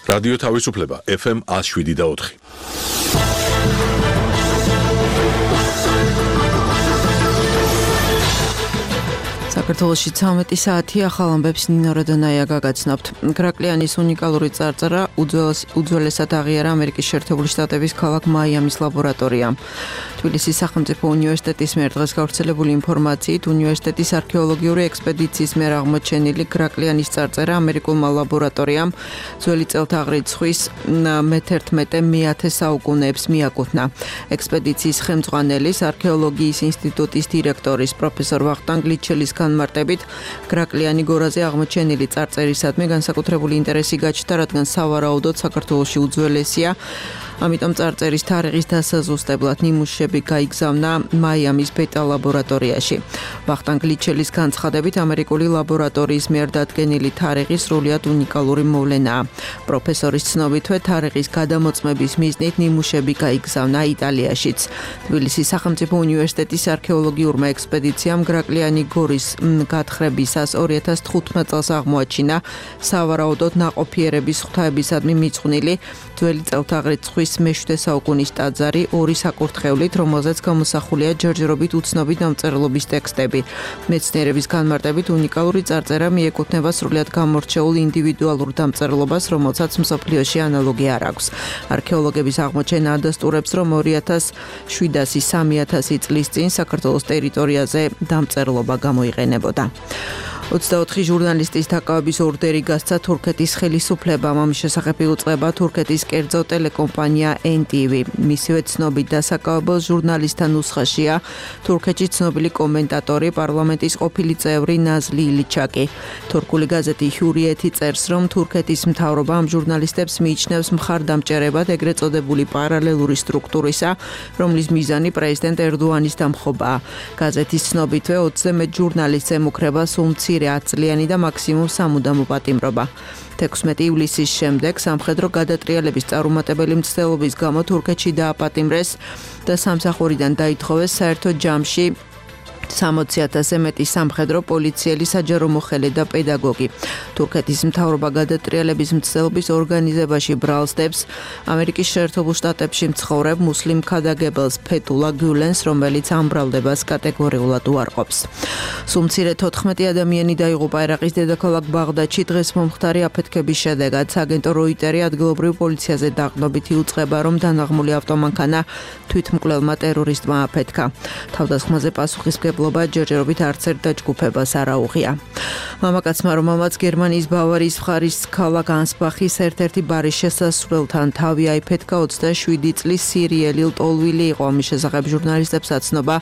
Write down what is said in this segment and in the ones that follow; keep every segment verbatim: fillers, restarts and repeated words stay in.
რადიო თავისუფლება ეფ ემ one oh seven და four. საქართველოში ცამეტი საათი ახალ ამბებს ნინო როდონაია გაგაცნობთ. გრაკლიანის უნიკალური წარწერა უძველესად აღიარა ამერიკის შეერთებული შტატების ქალაქ მაიამის ლაბორატორიამ. თბილისის სახელმწიფო უნივერსიტეტის მიერ დღეს გავრცელებული ინფორმაციით, უნივერსიტეტის არქეოლოგიური ექსპედიციის მიერ აღმოჩენილი გრაკლიანის წარწერა ამერიკულმა ლაბორატორიამ ძველი წელთაღრიცხვის მეთერთმეტე მეათე საუკუნეებს მიაკუთვნა. ექსპედიციის ხელმძღვანელის არქეოლოგიის ინსტიტუტის დირექტორის პროფესორ ვახტანგ ლიჩელის განმარტებით, გრაკლიანი გორაზე აღმოჩენილი წარწერისადმი განსაკუთრებული ინტერესი გაჩნდა, რადგან სავარაუდოდ საქართველოში უძველესია. ამიტომ წარწერის თარიღის დასაზუსტებლად ნიმუშები გაიგზავნა მაიამის ბეტა ლაბორატორიაში. ვახტანგ ლიჩელის განცხადებით, ამერიკული ლაბორატორიის მიერ დადგენილი თარიღი სრულიად უნიკალური მოვლენაა. პროფესორის ცნობითვე, თარიღის გადამოწმების მიზნით ნიმუშები გაიგზავნა იტალიაშიც. თბილისის სახელმწიფო უნივერსიტეტის არქეოლოგიურმა ექსპედიციამ გრაკლიანი გორის გათხრებისას two thousand fifteen წელს აღმოაჩინა სავარაუდოდ ნაყოფიერების ღვთაებისადმი მიძღვნილი ძველი წელთაღრიცხვის მეშვიდე საუკუნის ტაძარი ორი საკურთხევლით, რომელზეც გამოსახულია ჯერჯერობით უცნობი დამწერლობის ტექსტები. მეცნიერების განმარტებით, უნიკალური წარწერა მიეკუთვნება სრულიად გამორჩეულ ინდივიდუალურ დამწერლობას, რომელსაც მსოფლიოში ანალოგი არ აქვს. არქეოლოგების აღმოჩენა ადასტურებს, რომ two thousand seven hundred წლის წინ საქართველოს ტერიტორიაზე დამწერლობა გამოიყენებოდა. ოცდაოთხი ჟურნალისტის დაკავების ორდერი გასცა თურქეთის ხელისუფლებამ. ამის შესახებ იუწყება თურქეთის კერძო ტელეკომპანია ენ ტი ვი. მისივე ცნობით დასაკავებელ ჟურნალისტთა ნუსხაშია თურქეთში ცნობილი კომენტატორი, პარლამენტის ყოფილი წევრი ნაზლი ილიჩაკი. თურქული გაზეთი ჰურიეთი წერს, რომ თურქეთის მთავრობა ამ ჟურნალისტებს მიიჩნევს მხარდამჭერებად ეგრეთ წოდებული პარალელური სტრუქტურისა, რომლის მიზანი პრეზიდენტ ერდოანის დამხობაა. გაზეთის ცნობითვე ოცზე მეტ ჟურნალისტს ემუქრება სულ მცირე ათწლიანი და მაქსიმუმ სამუდამო პატიმრობა. თექვსმეტი ივლისის შემდეგ სამხედრო გადატრიალების წარუმატებელი მცდელობის გამო თურქეთში დააპატიმრეს და სამსახურიდან დაითხოვეს საერთო ჯამში სამოცი ათასზე მეტი სამხედრო პოლიციელი, საჯარო მოხელე და პედაგოგი. თურქეთის მთავრობა გადატრიალების მცდელობის ორგანიზებაში ბრალს დებს ამერიკის შეერთებულ შტატებში მცხოვრებ მუსლიმ ქადაგებელს ფეთულა გულენს, რომელიც ამ ბრალდებას კატეგორიულად უარყოფს. სულ მცირე თოთხმეტი ადამიანი დაიღუპა ერაყის დედაქალაქ ბაღდადში დღეს მომხდარი აფეთქების შედეგად. სააგენტო როიტერი ადგილობრივ პოლიციაზე დაყრდნობით იუწყება, რომ დანაღმული ავტომანქანა თვითმკვლელმა ტერორისტმა აფეთქა. თავდასხმაზე პასუხისმგებლობა ჯერჯერობით არც ერთ დაჯგუფებას არ აუღია. მამაკაცმა, რომელმაც გერმანიის ბავარიის მხარის ქალაქ ანსბახის ერთ-ერთი ბარის შესასვლელთან თავი აიფეთქა, ოცდაშვიდი წლის სირიელი ლტოლვილი იყო. ამის შესახებ ჟურნალისტებს აცნობა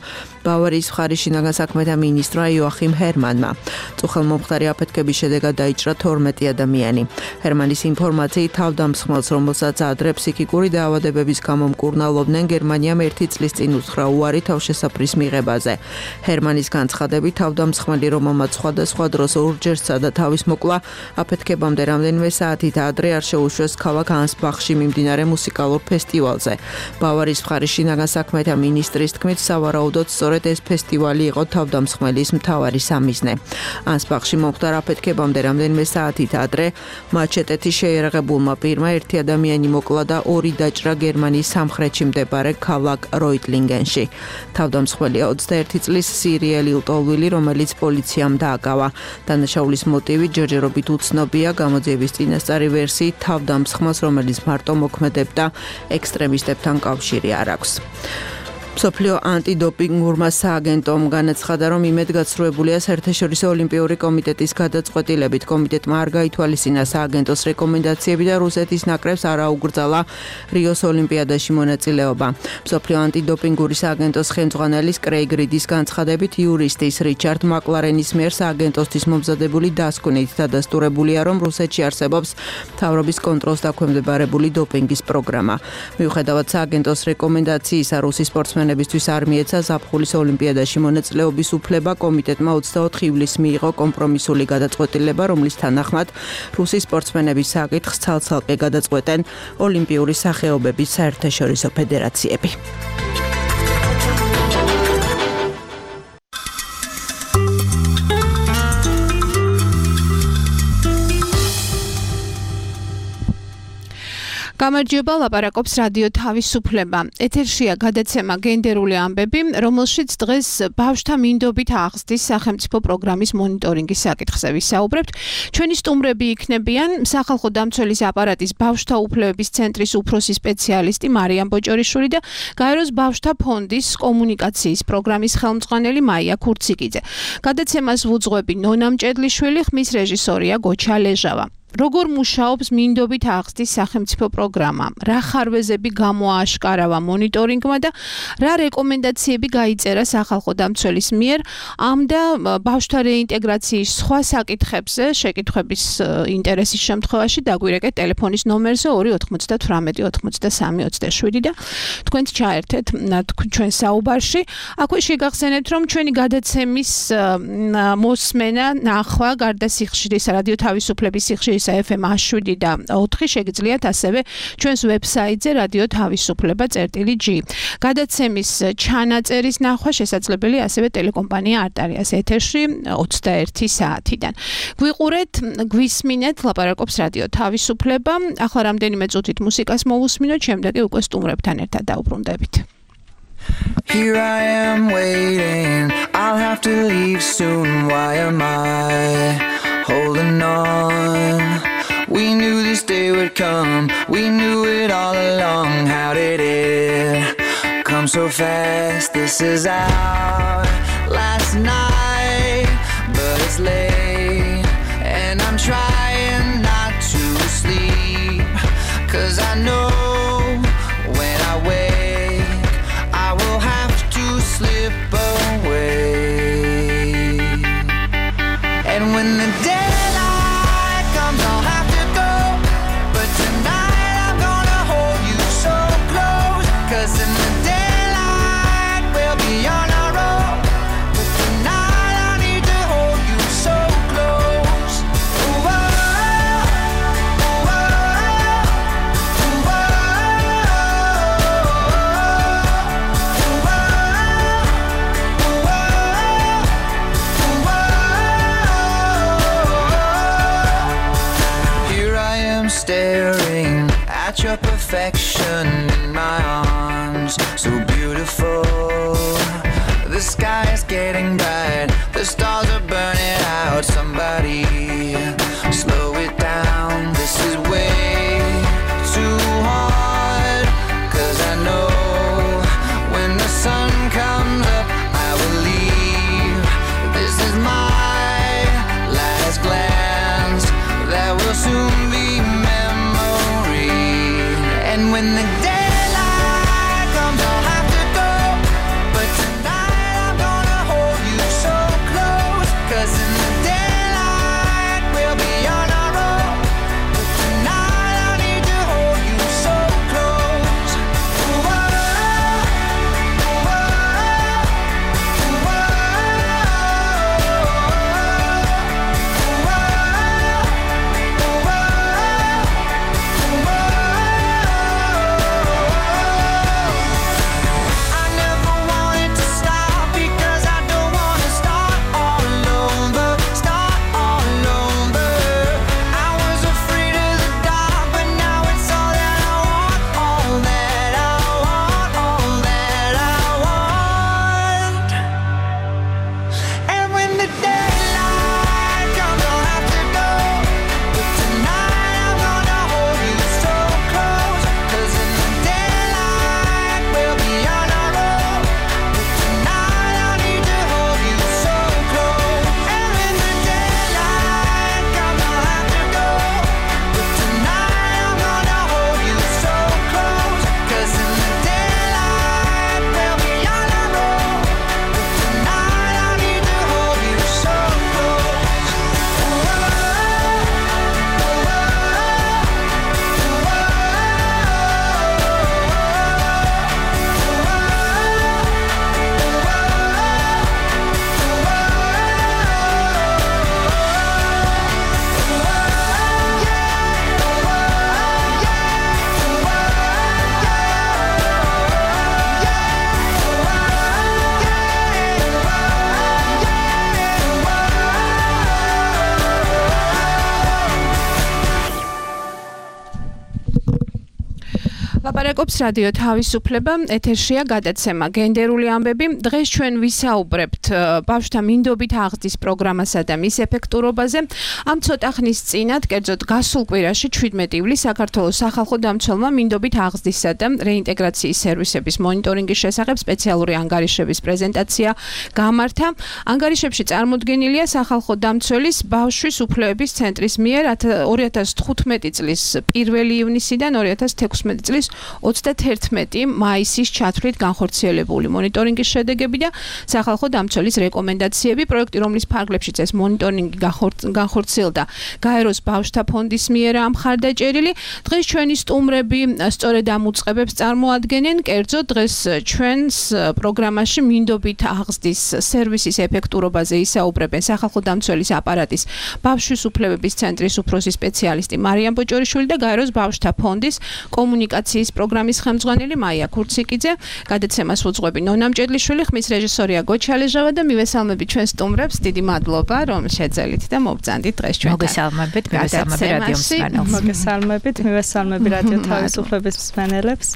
ბავარიის მხარის შინაგან საქმეთა მინისტრმა იოახიმ ჰერმანმა. წუხელმომხდარი აფეთქების შედეგად დაიჭრა თორმეტი ადამიანი. ჰერმანის ინფორმაციით, თავდამსხმელს, რომელსაც ადრე ფსიქიკური დაავადებების გამო მკურნალობდნენ, გერმანიამ ერთი წლის წინ უთხრა უარი თავშესაფრის მიღებაზე. ჰერმანის განცხადებით, თავდამსხმელი, რომელმაც სხვადასხვა დროს ორჯერ სცადა თავის მოკლა, აფეთქებამდე რამდენიმე საათით ადრე არ შეუშვეს ქალაქ ანსბახში მიმდინარე მუსიკალურ ფესტივალზე. ბავარიის მხარის შინაგან საქმეთა მინისტრის თქმით, სავარაუდოდ სწორედ ეს ფესტივალი იყო თავდამსხმელის მთავარი სამიზნე. ანსბახში მომხდარ აფეთქებამდე რამდენიმე საათით ადრე მაჩეტეთი შეიარაღებულმა პირმა ერთი ადამიანი მოკლა და ორი დაჭრა გერმანიის სამხრეთში მდებარე ქალაქ როიტლინგენში. თავდამსხმელია ოცდაერთი წლის სირიელი ლტოლვილი, რომელიც პოლიციამ დააკავა. დანაშაულის მოტივი ჯერჯერობით უცნობია. გამოძიების წინასწარი ვერსიით, თავდამსხმელს, რომელიც მარტო მოქმედებდა, ექსტრემისტებთან კავშირი არ აქვს. მსოფლიო ანტიდოპინგურმა სააგენტომ განაცხადა, რომ იმედგაცრუებულია საერთაშორისო ოლიმპიური კომიტეტის გადაწყვეტილებით. კომიტეტმა არ გაითვალისწინა სააგენტოს რეკომენდაციები და რუსეთის ნაკრებს არ აუგრძალა რიოს ოლიმპიადაში მონაწილეობა. მსოფლიო ანტიდოპინგური სააგენტოს ხელმძღვანელის კრეიგ რიდის განცხადებით, იურისტის რიჩარდ მაკლარენის მიერ სააგენტოსთვის მომზადებული დასკვნით დადასტურებულია, რომ რუსეთში არსებობს მთავრობის კონტროლს დაქვემდებარებული დოპინგის პროგრამა. მიუხედავად სააგენტოს რეკომენდაციისა, რუსი სპორტსმენები სპორტსმენებისთვის არ მიეცა ზაფხულის ოლიმპიადაში მონაწილეობის უფლება. კომიტეტმა ოცდაოთხი ივლისს მიიღო კომპრომისული გადაწყვეტილება, რომლის თანახმად რუსი სპორტსმენების საკითხს ცალ-ცალკე გადაწყვეტენ ოლიმპიური სახეობების საერთაშორისო ფედერაციები. გამარჯობა, ლაპარაკობს რადიო თავისუფლება. ეთერშია გადაცემა გენდერული ამბები, რომელშიც დღეს ბავშვთა მინდობით აღზრდის სახელმწიფო პროგრამის მონიტორინგის საკითხზე ვისაუბრებთ. ჩვენი სტუმრები იქნებიან სახალხო დამცველის აპარატის ბავშვთა უფლებების ცენტრის უფროსი სპეციალისტი მარიამ ბოჭორიშვილი და გაეროს ბავშვთა ფონდის კომუნიკაციის პროგრამის ხელმძღვანელი მაია ქურციკიძე. გადაცემას ვუძღვები ნონა მჭედლიშვილი, ხმის რეჟისორია გოჩა ლეჟავა. როგორ მუშაობს მინდობით აღზრდის სახელმწიფო პროგრამა, რა ხარვეზები გამოააშკარავა მონიტორინგმა და რა რეკომენდაციები გაიწერა სახალხო დამცველის მიერ ამ და ბავშვთა რეინტეგრაციის სხვა საკითხებზე შეკითხვების ინტერესის შემთხვევაში დაგვირეკეთ ტელეფონის ნომერზე ორი ოთხმოცდათვრამეტი ოცდასამი ოცდაშვიდი და თქვენც ჩაერთეთ ჩვენ საუბარში. აქვე შეგახსენებთ, რომ ჩვენი გადაცემის მოსმენა, ნახვა გარდა სიხშირისა, რადიო თავისუფლების სიხშირისა ეფ ემ შვიდი და ოთხი შეგიძლიათ ასევე ჩვენს ვებსაიტზე რადიო თავისუფლება წერტილი ჯი. გადაცემის ჩანაწერის ნახვა შესაძლებელი ასევე ტელეკომპანია არტარიას ეთერში ოცდაერთი საათიდან. გვიყურეთ, გვისმინეთ, ლაპარაკობს რადიო თავისუფლება. ახლა რამდენიმე წუთით მუსიკას მოვუსმინოთ, შემდეგი უკვე სტუმრებთან ერთად დაუბრუნდებით. Here I am waiting, I'll have to leave soon, why am I holding on? We knew this day would come, we knew it all along. How did it come so fast? This is our last night, but it's late and I'm trying not to sleep, 'cause I know when I wake I will have to slip away. And when the daylight comes I'll have to go, but tonight I'm gonna hold you so close, 'cause in the daylight we'll be on our own, but tonight I need to hold you so close. Ooh, oh, ooh, oh, ooh, oh, ooh, oh. Here I am staring at your perfection in my arms, so beautiful. The sky is getting bright, the stars are burning out. Somebody slow it down, this is way too hard, 'cause I know when the sun comes up I will leave. This is my last glance, that will soon be memory. And when the daylight comes I'll have to go, but tonight I'm gonna hold you so close, ლაპარაკობს რადიო თავისუფლება, ეთერშია გადაცემა გენდერული ამბები. დღეს ჩვენ ვისაუბრებთ ბავშვთა მინდობით აღზრდის პროგრამასა და მის ეფექტურობაზე. ამ ცოტა ხნის წინათ, კერძოდ გასულ კვირაში შვიდმეტი ივლისს საქართველოს სახალხო დამცველმა მინდობით აღზრდისა და რეინტეგრაციის სერვისების მონიტორინგის შესახებ სპეციალური ანგარიშების პრეზენტაცია გამართა. ანგარიშებში წარმოდგენილია სახალხო დამცველის ბავშვის უფლებების ცენტრის მიერ ორი ათას თხუთმეტი წლის პირველი ივნისიდან ორი ათას თექვსმეტი წლის ოცდაათერთმეტი მაისის ჩათვლით განხორციელებული მონიტორინგის შედეგები და სახალხო დამცველის რეკომენდაციები. პროექტი, რომლის ფარგლებშიც ეს მონიტორინგი განხორციელდა გაეროს ბავშვთა ფონდის მიერ ამხარდაჭერილი. დღეს ჩვენი სტუმრები სწორედ ამ უწყებებს წარმოადგენენ. კერძოდ დღეს ჩვენს პროგრამაში მინდობით აღზრდის სერვისის ეფექტურობაზე ისაუბრებენ სახალხო დამცველის აპარატის ბავშვის უფლებების ცენტრის უფროსი სპეციალისტი მარიამ ბოჭორიშვილი და გაეროს ბავშვთა ფონდის კომუნიკაციის პროგრამის ხელმძღვანელი მაია ქურციკიძე. გადაცემას უძღვები ნონა მჭედლიშვილი, ხმის რეჟისორია გოჩალეჟავა და მივესალმები ჩვენ სტუმრებს. დიდი მადლობა, რომ შეძელით და მობრძანდით დღეს ჩვენთან. მოგესალმებით, მივესალმები რადიო მსმენელს. მოგესალმებით, მივესალმები რადიო თავისუფლების მსმენელებს.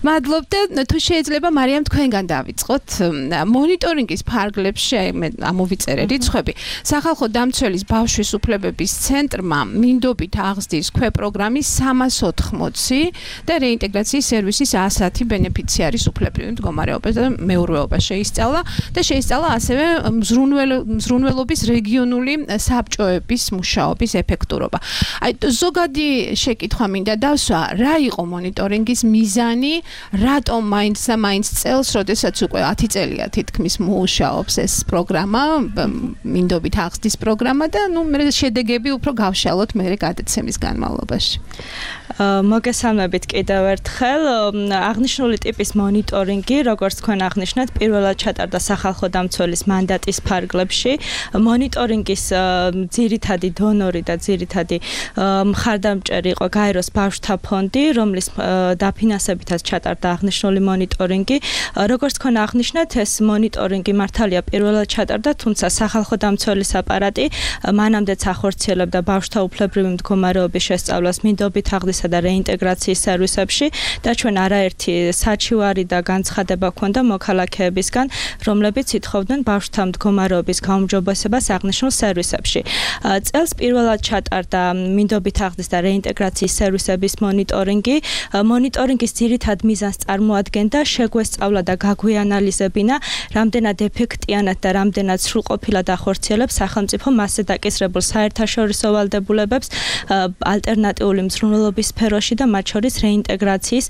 მადლობთ და თუ შეიძლება მარიამ თქვენგან დავიწყოთ. მონიტორინგის ფარგლებში ამოვიწერე რიცხვები. სახალხო დამცველის ბავშვის უფლებების ცენტრმა მინდობით აღზრდის ქვეპროგრამის სამას ოთხმოცი და რეინტეგრაციის სერვისის ასათი ბენეფიციარის უფლებრივი მდგომარეობა და მეურვეობა შეისწავლა და შეისწავლა ასევე მზრუნველობის რეგიონული საბჭოების მუშაობის ეფექტურობა. აი ზოგადი შეკითხვა მინდა დავსვა, რა იყო მონიტორინგის მიზანი, რატომ მაინც და მაინც წელს, როდესაც უკვე ათი წელია თითქმის მუშაობს ეს პროგრამა, მინდობით აღზრდის პროგრამა და ნუ მე შედეგები უფრო გავშალოთ მე გადაცემის განმავლობაში. მოგესალმებით კიდევ ერთხელ. აღნიშნული ტიპის მონიტორინგი, როგორც თქვენ აღნიშნეთ, პირველად ჩატარდა სახალხო დამცველის მანდატის ფარგლებში. მონიტორინგის ძირითადი დონორი და ძირითადი მხარდამჭერი იყო გაეროს ბავშვთა ფონდი, რომლის დაფინანსებითაც ჩატარდა აღნიშნული მონიტორინგი. როგორც თქვენ აღნიშნეთ, ეს მონიტორინგი მართალია პირველად ჩატარდა, თუმცა სახალხო დამცველის აპარატი მანამდეც ახორციელებდა ბავშვთა უფლებრივი მდგომარეობის შესწავლას მინდობით აღზრდისა და რეინტეგრაციის სერვისებში და ჩვენ არაერთი საჩივარი და განცხადება ჰქონდა მოქალაქეებისგან, რომლებიც ითხოვდნენ ბავშვთა მდგომარეობის გაუმჯობესებას აღნიშნულ სერვისებში. წელს პირველად ჩატარდა მინდობით აღზრდის და რეინტეგრაციის სერვისების მონიტორინგი. მონიტორინგის ძირითად მიზანს წარმოადგენდა შეგვესწავლა და გაგვეანალიზებინა, რამდენად ეფექტიანად და რამდენად სრულყოფილად ახორციელებს სახელმწიფო მასზე დაკისრებულ საერთაშორისო ვალდებულებებს ალტერნატიული მზრუნველობის სფეროში და მათ შორის რეინტეგრაციის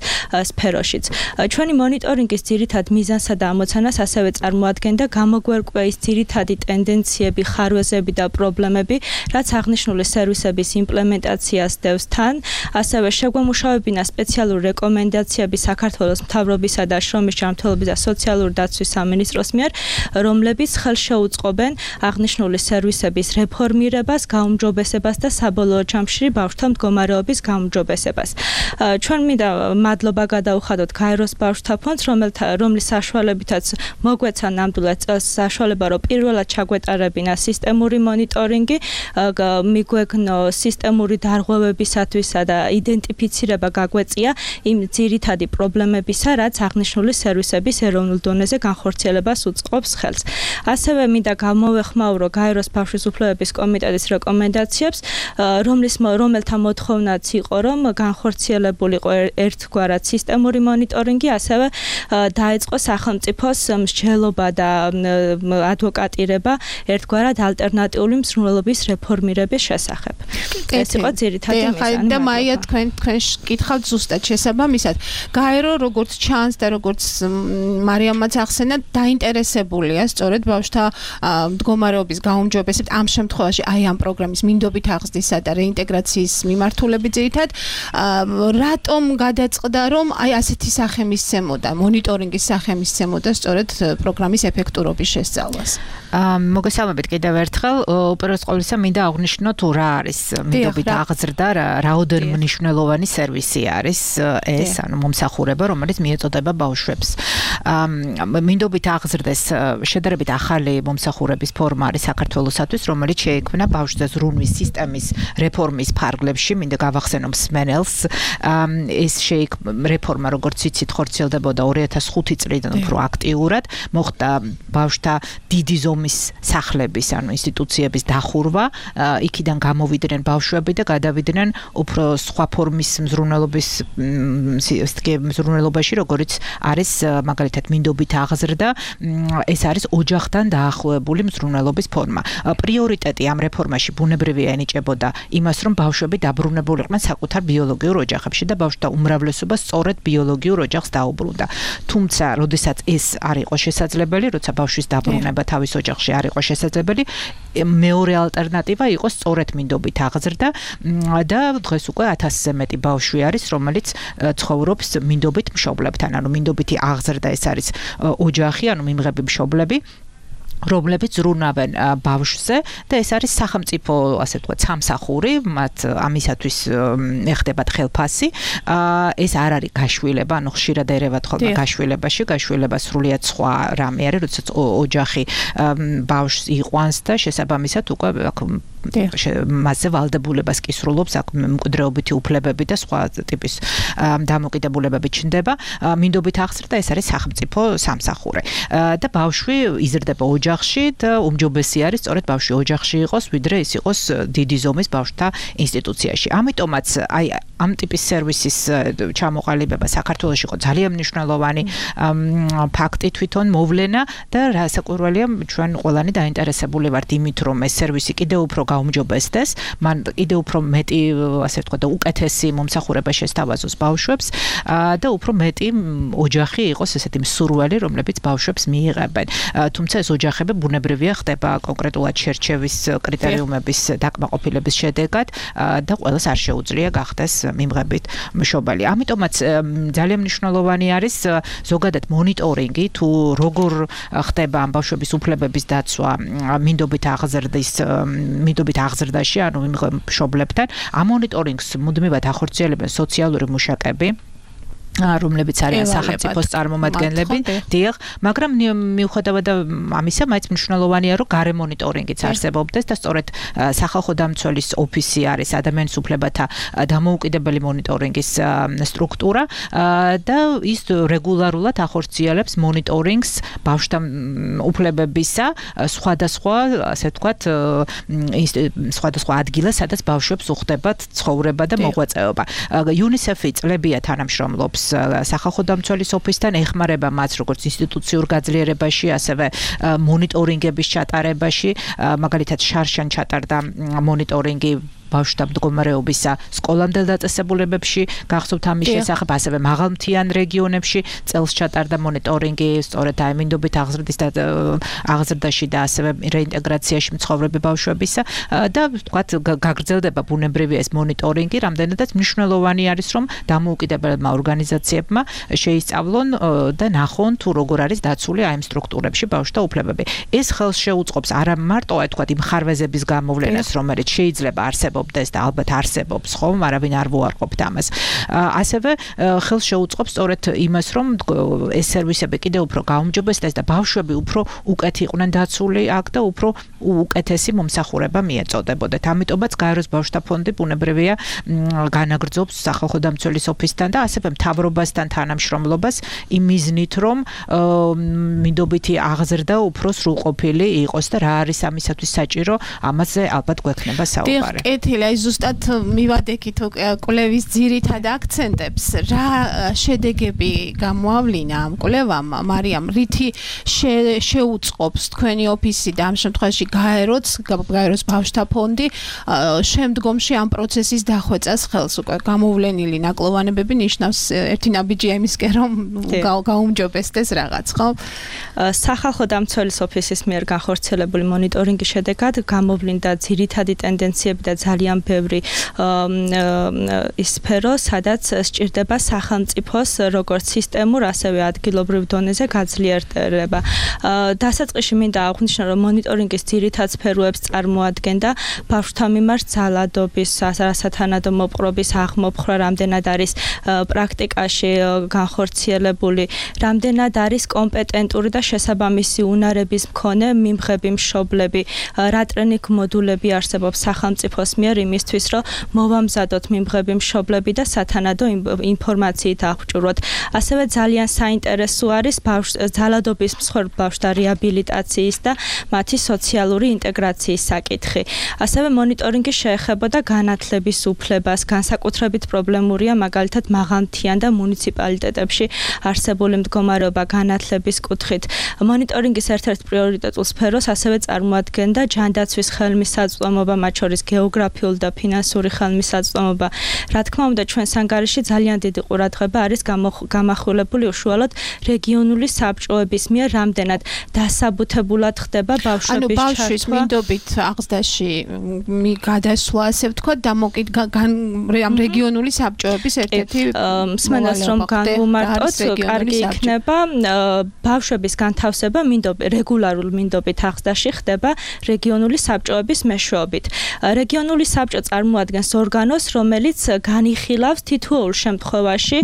სფეროშიც. ჩვენი მონიტორინგის ძირითად მიზანსა და ამოცანას ასევე წარმოადგენდა გამოგვერკვეის ძირითადი ტენდენციები, ხარვეზები და პრობლემები, რაც აღნიშნული სერვისების იმპლემენტაციას დევს თან, ასევე შეგვემუშავებინა სპეციალური რეკომენდაციები საქართველოს მთავრობისა და შრომის ჯანმრთელობის და სოციალური დაცვის სამინისტროს მიერ, რომლებიც ხელშეუწყობენ აღნიშნული სერვისების რეფორმირებას, გაუმჯობესებას და საბოლოო ჯამში ბავშვთა მდგომარეობის გაუმჯობესებას. ჩვენ მინდა მადლობა გადავუხადოთ გაეროს ბავშვთა ფონდს, რომლის საშუალებითაც მოგვეცა ნამდვილად წელს საშუალება, რომ პირველად ჩაგვეტარებინა სისტემური მონიტორინგი, მიგვეგნო სისტემური დარღვევებისათვისა და იდენტიფიცირება გაგვეწია იმ ძირითადი პრობლემებისა, რაც აღნიშნული სერვისების ეროვნულ დონეზე განხორციელებას უწყობს ხელს. ასევე მინდა გამოვეხმაურო გაეროს ბავშვის უფლებების კომიტეტის რეკომენდაციებს, რომლის რომელთა მოთხოვნაც იყო, რომ განხორციელებულიყო ერთგვარად სისტემური მონიტორინგი, ასევე დაეწყო სახელმწიფოს მსჯელობა და ადვოკატირება ერთგვარად ალტერნატიული მზრუნველობის რეფორმირების შესახებ. ეს იყო ძირითადი მიზანი. და მაია თქვენ თქვენ კითხავთ ზუსტად შესაბამისად. გაერო როგორც ჩანს და როგორც მარიამაც ახსენა, დაინტერესებულია სწორედ ბავშვთა მდგომარეობის გაუმჯობესებით ამ შემთხვევაში აი ამ პროგრამის მინდობით აღზრდისა და რეინტეგრაციის მიმართულებით ძირითად რატომ გადაწყდა, რომ აი ასეთი სახე მისცემოდა, მონიტორინგის სახე მისცემოდა სწორედ პროგრამის ეფექტურობის შესწავლას. მოგესალმებით კიდევ ერთხელ. უპირველეს ყოვლისა მინდა აღვნიშნო თუ რა არის მინდობით აღზრდა, რაოდენ მნიშვნელოვანი სერვისი არის ეს, ანუ მომსახურება, რომელიც მიეწოდება ბავშვებს. მინდობით აღზრდეს შედარებით ახალი მომსახურების ფორმა არის საქართველოსათვის, რომელიც შეიქმნა ბავშვთა ზრუნვის სისტემის რეფორმის ფარგლებში. მინდა გავახსენო მსმენელს, ეს შეიქ რეფორმა როგორც იცით ხორციელდებოდა ორი ათას ხუთი წლიდან უფრო აქტიურად მოხდა ბავშვთა დიდი ზომის სახლების ანუ ინსტიტუციების დახურვა იქიდან გამოვიდნენ ბავშვები და გადავიდნენ უფრო სხვა ფორმის მზრუნველობის მზრუნველობაში როგორც არის მაგალითად მინდობით აღზრდა ეს არის ოჯახთან დაახლოებული მზრუნველობის ფორმა პრიორიტეტი ამ რეფორმაში ბუნებრივია ენიჭებოდა იმას რომ ბავშვები დაბრუნებულიყვნენ საკუთარ ბიოლოგიურ ოჯახებში და ბავშვთა უმრავლესობა სწორედ ბიოლოგიურ ოჯახს დაუბრუნდა თუმცა როდესაც ეს არ იყო შესაძლებელი როცა ბავშვის დაბრუნება თავის ოჯახში არ იყო შესაძლებელი მეორე ალტერნატივა იყო სწორედ მინდობით აღზრდა და დღეს უკვე ათასზე მეტი ბავშვი არის რომელიც ცხოვრობს მინდობით მშობლებთან ანუ მინდობითი აღზრდა ეს არის ოჯახი ანუ მიმღები მშობლები რომლებიც ზრუნავენ ბავშვზე და ეს არის სახელმწიფო ასე ვთქვათ სამსახური მათ ამისათვის ეხდებათ ხელფასი ეს არ არის გაშვილება ანუ ხშირად ერევათ ხოლმე გაშვილებაში გაშვილება სრულიად სხვა რამე არის როდესაც ოჯახი ბავშვს იყვანს და შესაბამისად უკვე მასზე ვალდებულებას კისრულობს აქ მკვდრეობითი უფლებები და სხვა ტიპის დამოკიდებულებები ჩნდება მინდობით აღზრდა ეს არის სახელმწიფო სამსახური და ბავშვი იზრდება ოჯახში და უმჯობესი არის სწორედ ბავშვი ოჯახში იყოს ვიდრე ის იყოს დიდი ზომის ბავშვთა ინსტიტუციაში ამიტომაც აი ამ ტიპის სერვისის ჩამოყალიბება საქართველოში იყო ძალიან მნიშვნელოვანი ფაქტი თვითონ მოვლენა და რასაკვირველია ჩვენ ყველანი დაინტერესებული ვართ იმით რომ ეს სერვისი კიდევ უფრო გაუმჯობესდეს მან კიდევ უფრო მეტი ასე ვთქვათ და უკეთესი მომსახურება შესთავაზოს ბავშვებს და უფრო მეტი ოჯახი იყოს ესეთი მსურველი რომლებიც ბავშვებს მიიღებენ თუმცა ეს ოჯახები ბუნებრივია ხდება კონკრეტულად შერჩევის კრიტერიუმების დაკმაყოფილების შედეგად და ყველას არ შეუძლია გახდეს მიმღებით მშობელი ამიტომაც ძალიან მნიშვნელოვანი არის ზოგადად მონიტორინგი თუ როგორ ხდება ამ ბავშვების უფლებების დაცვა მინდობით აღზრდის მინდობით აღზრდაში ანუ მშობლებთან ამ მონიტორინგს მუდმივად ახორციელებენ სოციალური მუშაკები რომლებიც არიან სახელმწიფოს წარმომადგენლები, დიახ, მაგრამ მიუხედავად ამისა, მაინც მნიშვნელოვანია, რომ გარე მონიტორინგიც არსებობდეს და სწორედ სახალხო დამცველის ოფისი არის ადამიანის უფლებათა დამოუკიდებელი მონიტორინგის სტრუქტურა და ის რეგულარულად ახორციელებს მონიტორინგს ბავშვთა უფლებებისა სხვადასხვა, ასე ვთქვათ, სხვადასხვა ადგილას, სადაც ბავშვებს უხდებათ ცხოვრება და მოღვაწეობა. იუნისეფი წლებია თანამშრომლობს სახალხო დამცველის ოფისთან ეხმარება მას როგორც ინსტიტუციურ გაძლიერებაში, ასევე მონიტორინგების ჩატარებაში, მაგალითად შარშან ჩატარდა მონიტორინგი ბავშვთა მდგომარეობისა სკოლამდელ დაწესებულებებში, გახსოვთ ამის შესახებ, ასევე მაღალმთიან რეგიონებში წელს ჩატარდა მონიტორინგი სწორედ აი მინდობით აღზრდის და აღზრდაში და ასევე რეინტეგრაციაში მცხოვრები ბავშვებისა და ვთქვათ გაგრძელდება ბუნებრივია ეს მონიტორინგი, რამდენადაც მნიშვნელოვანი არის რომ დამოუკიდებელმა ორგანიზაციებმა შეისწავლონ და ნახონ თუ როგორ არის დაცული აი ამ სტრუქტურებში ბავშვთა უფლებები. ეს ხელს შეუწყობს არა მარტო აი ვთქვათ იმ ხარვეზების გამოვლენას, რომელიც შეიძლება არსებობს და ალბათ არსებობს, ხო, არავინ არ ვუარყოფთ ამას. ასევე ხელს შეუწყობს სწორედ იმას, რომ ეს სერვისები კიდევ უფრო გაუმჯობესდეს და ბავშვები უფრო უკეთ იყვნენ დაცული აქ და უფრო უკეთესი მომსახურება მიეწოდებოდათ. ამიტომაც გაეროს ბავშვთა ფონდი ბუნებრივია განაგრძობს სახალხო დამცველის ოფისთან და ასევე მთავრობასთან თანამშრომლობას იმ მიზნით, რომ მინდობითი აღზრდა უფრო სრულყოფილი იყოს და რა არის ამისათვის საჭირო, ამაზე ალბათ გვექნება საუბარი. აი ზუსტად მივადექით კვლევის ძირითად აქცენტებს რა შედეგები გამოავლინა ამ კვლევამ მარიამ რითი შეუწყობს თქვენი ოფისი და ამ შემთხვევაში გაეროც გაეროს ბავშვთა ფონდი შემდგომში ამ პროცესის დახვეწას ხელს უკვე გამოვლენილი ნაკლოვანებები ნიშნავს ერთი ნაბიჯია იმისკენ რომ გაუმჯობესდეს რაღაც ხო სახალხო დამცველის ოფისის მიერ განხორციელებული მონიტორინგის შედეგად გამოვლინდა ძირითადი ტენდენციები და ძალიან ბევრი ის სფერო, სადაც სჭირდება სახელმწიფოს როგორც სისტემურ, ასევე ადგილობრივ დონეზე გაძლიერება. დასაწყისში მინდა აღვნიშნო, რომ მონიტორინგის ძირითად სფეროებს წარმოადგენდა ბავშვთა მიმართ ძალადობის, სასათანადო მოპყრობის აღმოფხვრა, რამდენად არის პრაქტიკაში განხორციელებული, რამდენად არის კომპეტენტური და შესაბამისი უნარების მქონე მიმღები მშობლები, რა ტრენინგ მოდულები არსებობს სახელმწიფოს მიერ მიერ იმისთვის, რომ მოვამზადოთ მიმღები მშობლები და სათანადო ინფორმაციით აღჭურვოთ. ასევე ძალიან საინტერესო არის ძალადობის მსხვერპლ ბავშვთა რეაბილიტაციის და მათი სოციალური ინტეგრაციის საკითხი. ასევე მონიტორინგი შეეხებოდა განათლების უფლებას, განსაკუთრებით პრობლემურია მაგალითად მაღალმთიან და მუნიციპალიტეტებში არსებული მდგომარეობა განათლების კუთხით. მონიტორინგის ერთ-ერთ პრიორიტეტულ სფეროს ასევე წარმოადგენდა ჯანდაცვის ხელმისაწვდომობა, მათ შორის გეოგრაფიული და ფინანსური ხელმისაწვდომობა. რა თქმა უნდა, ჩვენს ანგარიში ძალიან დიდი ყურადღება არის გამახვილებული უშუალოდ რეგიონული საბჭოების მიერ, რამდენად დასაბუთებულად ხდება ბავშვების ჩართვა. ანუ ბავშვის მინდობით აღზრდაში გადასვლა, ასე ვთქვათ, დამოკიდდა ამ რეგიონული საბჭოების ერთ-ერთი მსმენელს რომ განვუმარტოთ, კარგი იქნება ბავშვების განთავსება მინდობი რეგულარულ მინდობით აღზრდაში ხდება რეგიონული საბჭოების მეშვეობით. რეგიონული საბჭო წარმოადგენს ორგანოს, რომელიც განიხილავს თითოეულ შემთხვევაში,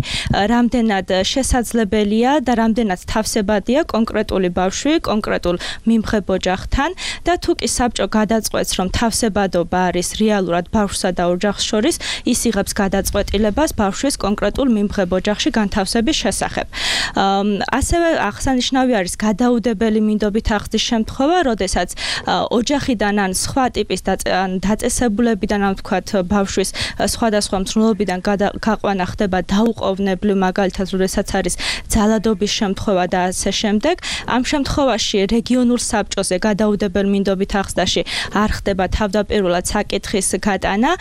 რამდენად შესაძლებელია და რამდენად თავსებადია კონკრეტული ბავშვი კონკრეტულ მიმღებ ოჯახთან და თუ კი საბჭო გადაწყვეტს, რომ თავსებადობა არის რეალურად ბავშვსა და ოჯახს შორის, ის იღებს გადაწყვეტილებას ბავშვის კონკრეტულ მიმღებ ოჯახში განთავსების შესახებ. ასევე აღსანიშნავი არის გადაუდებელი მინდობით აღზრდის შემთხვევა, როდესაც ოჯახიდან ან სხვა ტიპის დაწესებულებიდან, ან ვთქვათ, ბავშვის სხვადასხვა მცნულობიდან გაყვანა ხდება დაუყოვნებლივ, მაგალითად, როდესაც არის ძალადობის შემთხვევა და ასე შემდეგ. ამ შემთხვევაში რეგიონულ საბჭოზე გადაუდებელ მინდობით აღზრდაში არ ხდება თავდაპირველად საკითხის გატანა,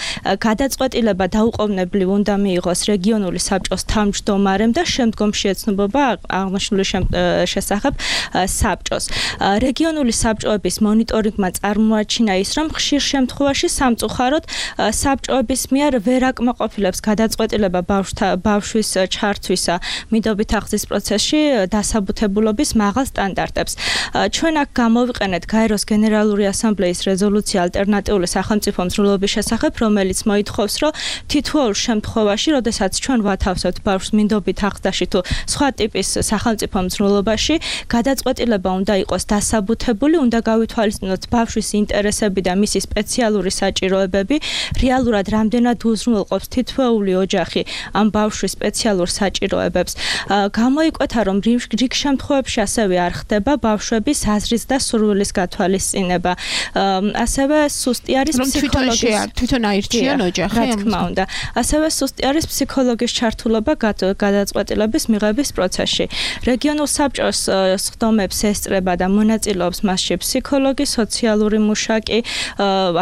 გადაწყვეტილება დაუყოვნებლივ უნდა მიიღოს რეგიონული საბჭოს თავმჯდომარემ და შემდგომში ეცნობოდა აღნიშნული შესახებ საბჭოს. რეგიონული საბჭოების მონიტორინგმა წარმოაჩინა ის, რომ ხშირ შემთხვევაში სამწუხაროდ საბჭოების მიერ ვერ აკმაყოფილებს გადაწყვეტილება ბავშვის ჩართვისა მინდობით აღზრდის პროცესში დასაბუთებულობის მაღალ სტანდარტებს. ჩვენ აქ გამოვიყენეთ გაეროს გენერალური ასამბლეის რეზოლუცია ალტერნატიული სახელმწიფო მცნულობის შესახებ, რომელიც მოითხოვს, რომ თითოეულ შემთხვევაში, როდესაც ჩვენ ვათავსებთ ბავშვს მინდობით აღზრდაში თუ სხვა ტიპის სახელმწიფო მცნულობაში, გადაწყვეტილება უნდა იყოს დასაბუთებული, უნდა გავითვალისწინოთ ბავშვის ინტერესები და მისი სპეციალური საჭიროებები, რეალურად რამდენად უზრუნველყოფს თითოეული ოჯახი ამ ბავშვის სპეციალურ საჭიროებებს. გამოიკვეთა, რომ რიგ შემთხვევებში ასევე არ ხდება ბავშვების აზრის და სურვილის გათვალისწინება. ასევე სუსტი არის ფსიქოლოგიის თვითონ აირჩიან ოჯახი, რა თქმა უნდა. ასევე სუსტი არის ფსიქოლოგის ჩართულობა გადაწყვეტილების მიღების პროცესში. რეგიონულ საბჭოს სხდომებს ესწრება და მონაწილეობს მასში ფსიქოლოგი, სოციალური მუშაკი,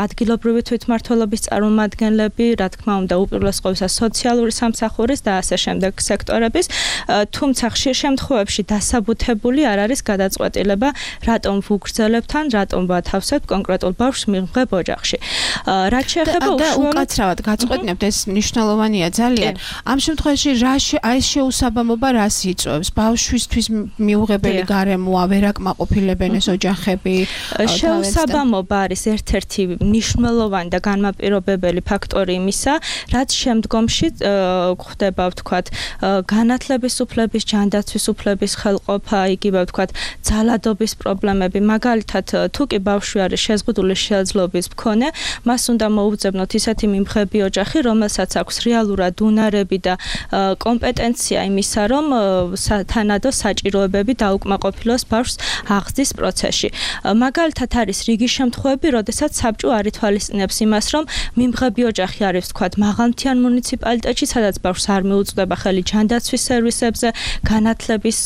ადგილობრივი თვითმმართველობის წარმომადგენლები, რა თქმა უნდა, უპირველეს ყოვლისა სოციალური სამსახურის და ასე შემდეგ სექტორების, თუმცა ხშირ შემთხვევებში დასაბუთებული არ არის გადაწყვეტილება, რატომ ვუგრძელებთ ან რატომ ვათავსებთ კონკრეტულ ბავშვს მიმღებ ოჯახში. რაც შეეხება უშუალოდ უკაცრავად გაწყვეტნებთ, ეს მნიშვნელოვანია ძალიან. ამ შემთხვევაში რა ეს შეუსაბამობა რას იწვევს? ბავშვისთვის მიუღებელი გარემოა, ვერ აკმაყოფილებენ ეს ოჯახები. შეუსაბამობა არის ერთ-ერთი მნიშვნელოვანი და განმაპირობებელი ფაქტორი იმისა, რაც შემდგომში ხდება, ვთქვათ, განათლების უფლების, ჯანდაცვის უფლების ხელყოფა, იგივე ვთქვათ, ძალადობის პრობლემები, მაგალითად, თუ კი ბავშვი არის შეზღუდული შესაძლებლობის მქონე, მას უნდა მოუძებნოთ ისეთი მიმღები ოჯახი, რომელსაც აქვს რეალურად უნარები და კომპეტენცია იმისა, რომ სათანადო საჭიროებები დაუკმაყოფილოს ბავშვს აღზრდის პროცესში. მაგალითად არის რიგი შემთხვევები, როდესაც საბჭო არ ითვალისწინებს იმას, რომ მიმღები ოჯახი არის, ვთქვათ, მაღალმთიან მუნიციპალიტეტში, სადაც ბავშვს არ მიუწვდება ხელი ჯანდაცვის სერვისებზე, განათლების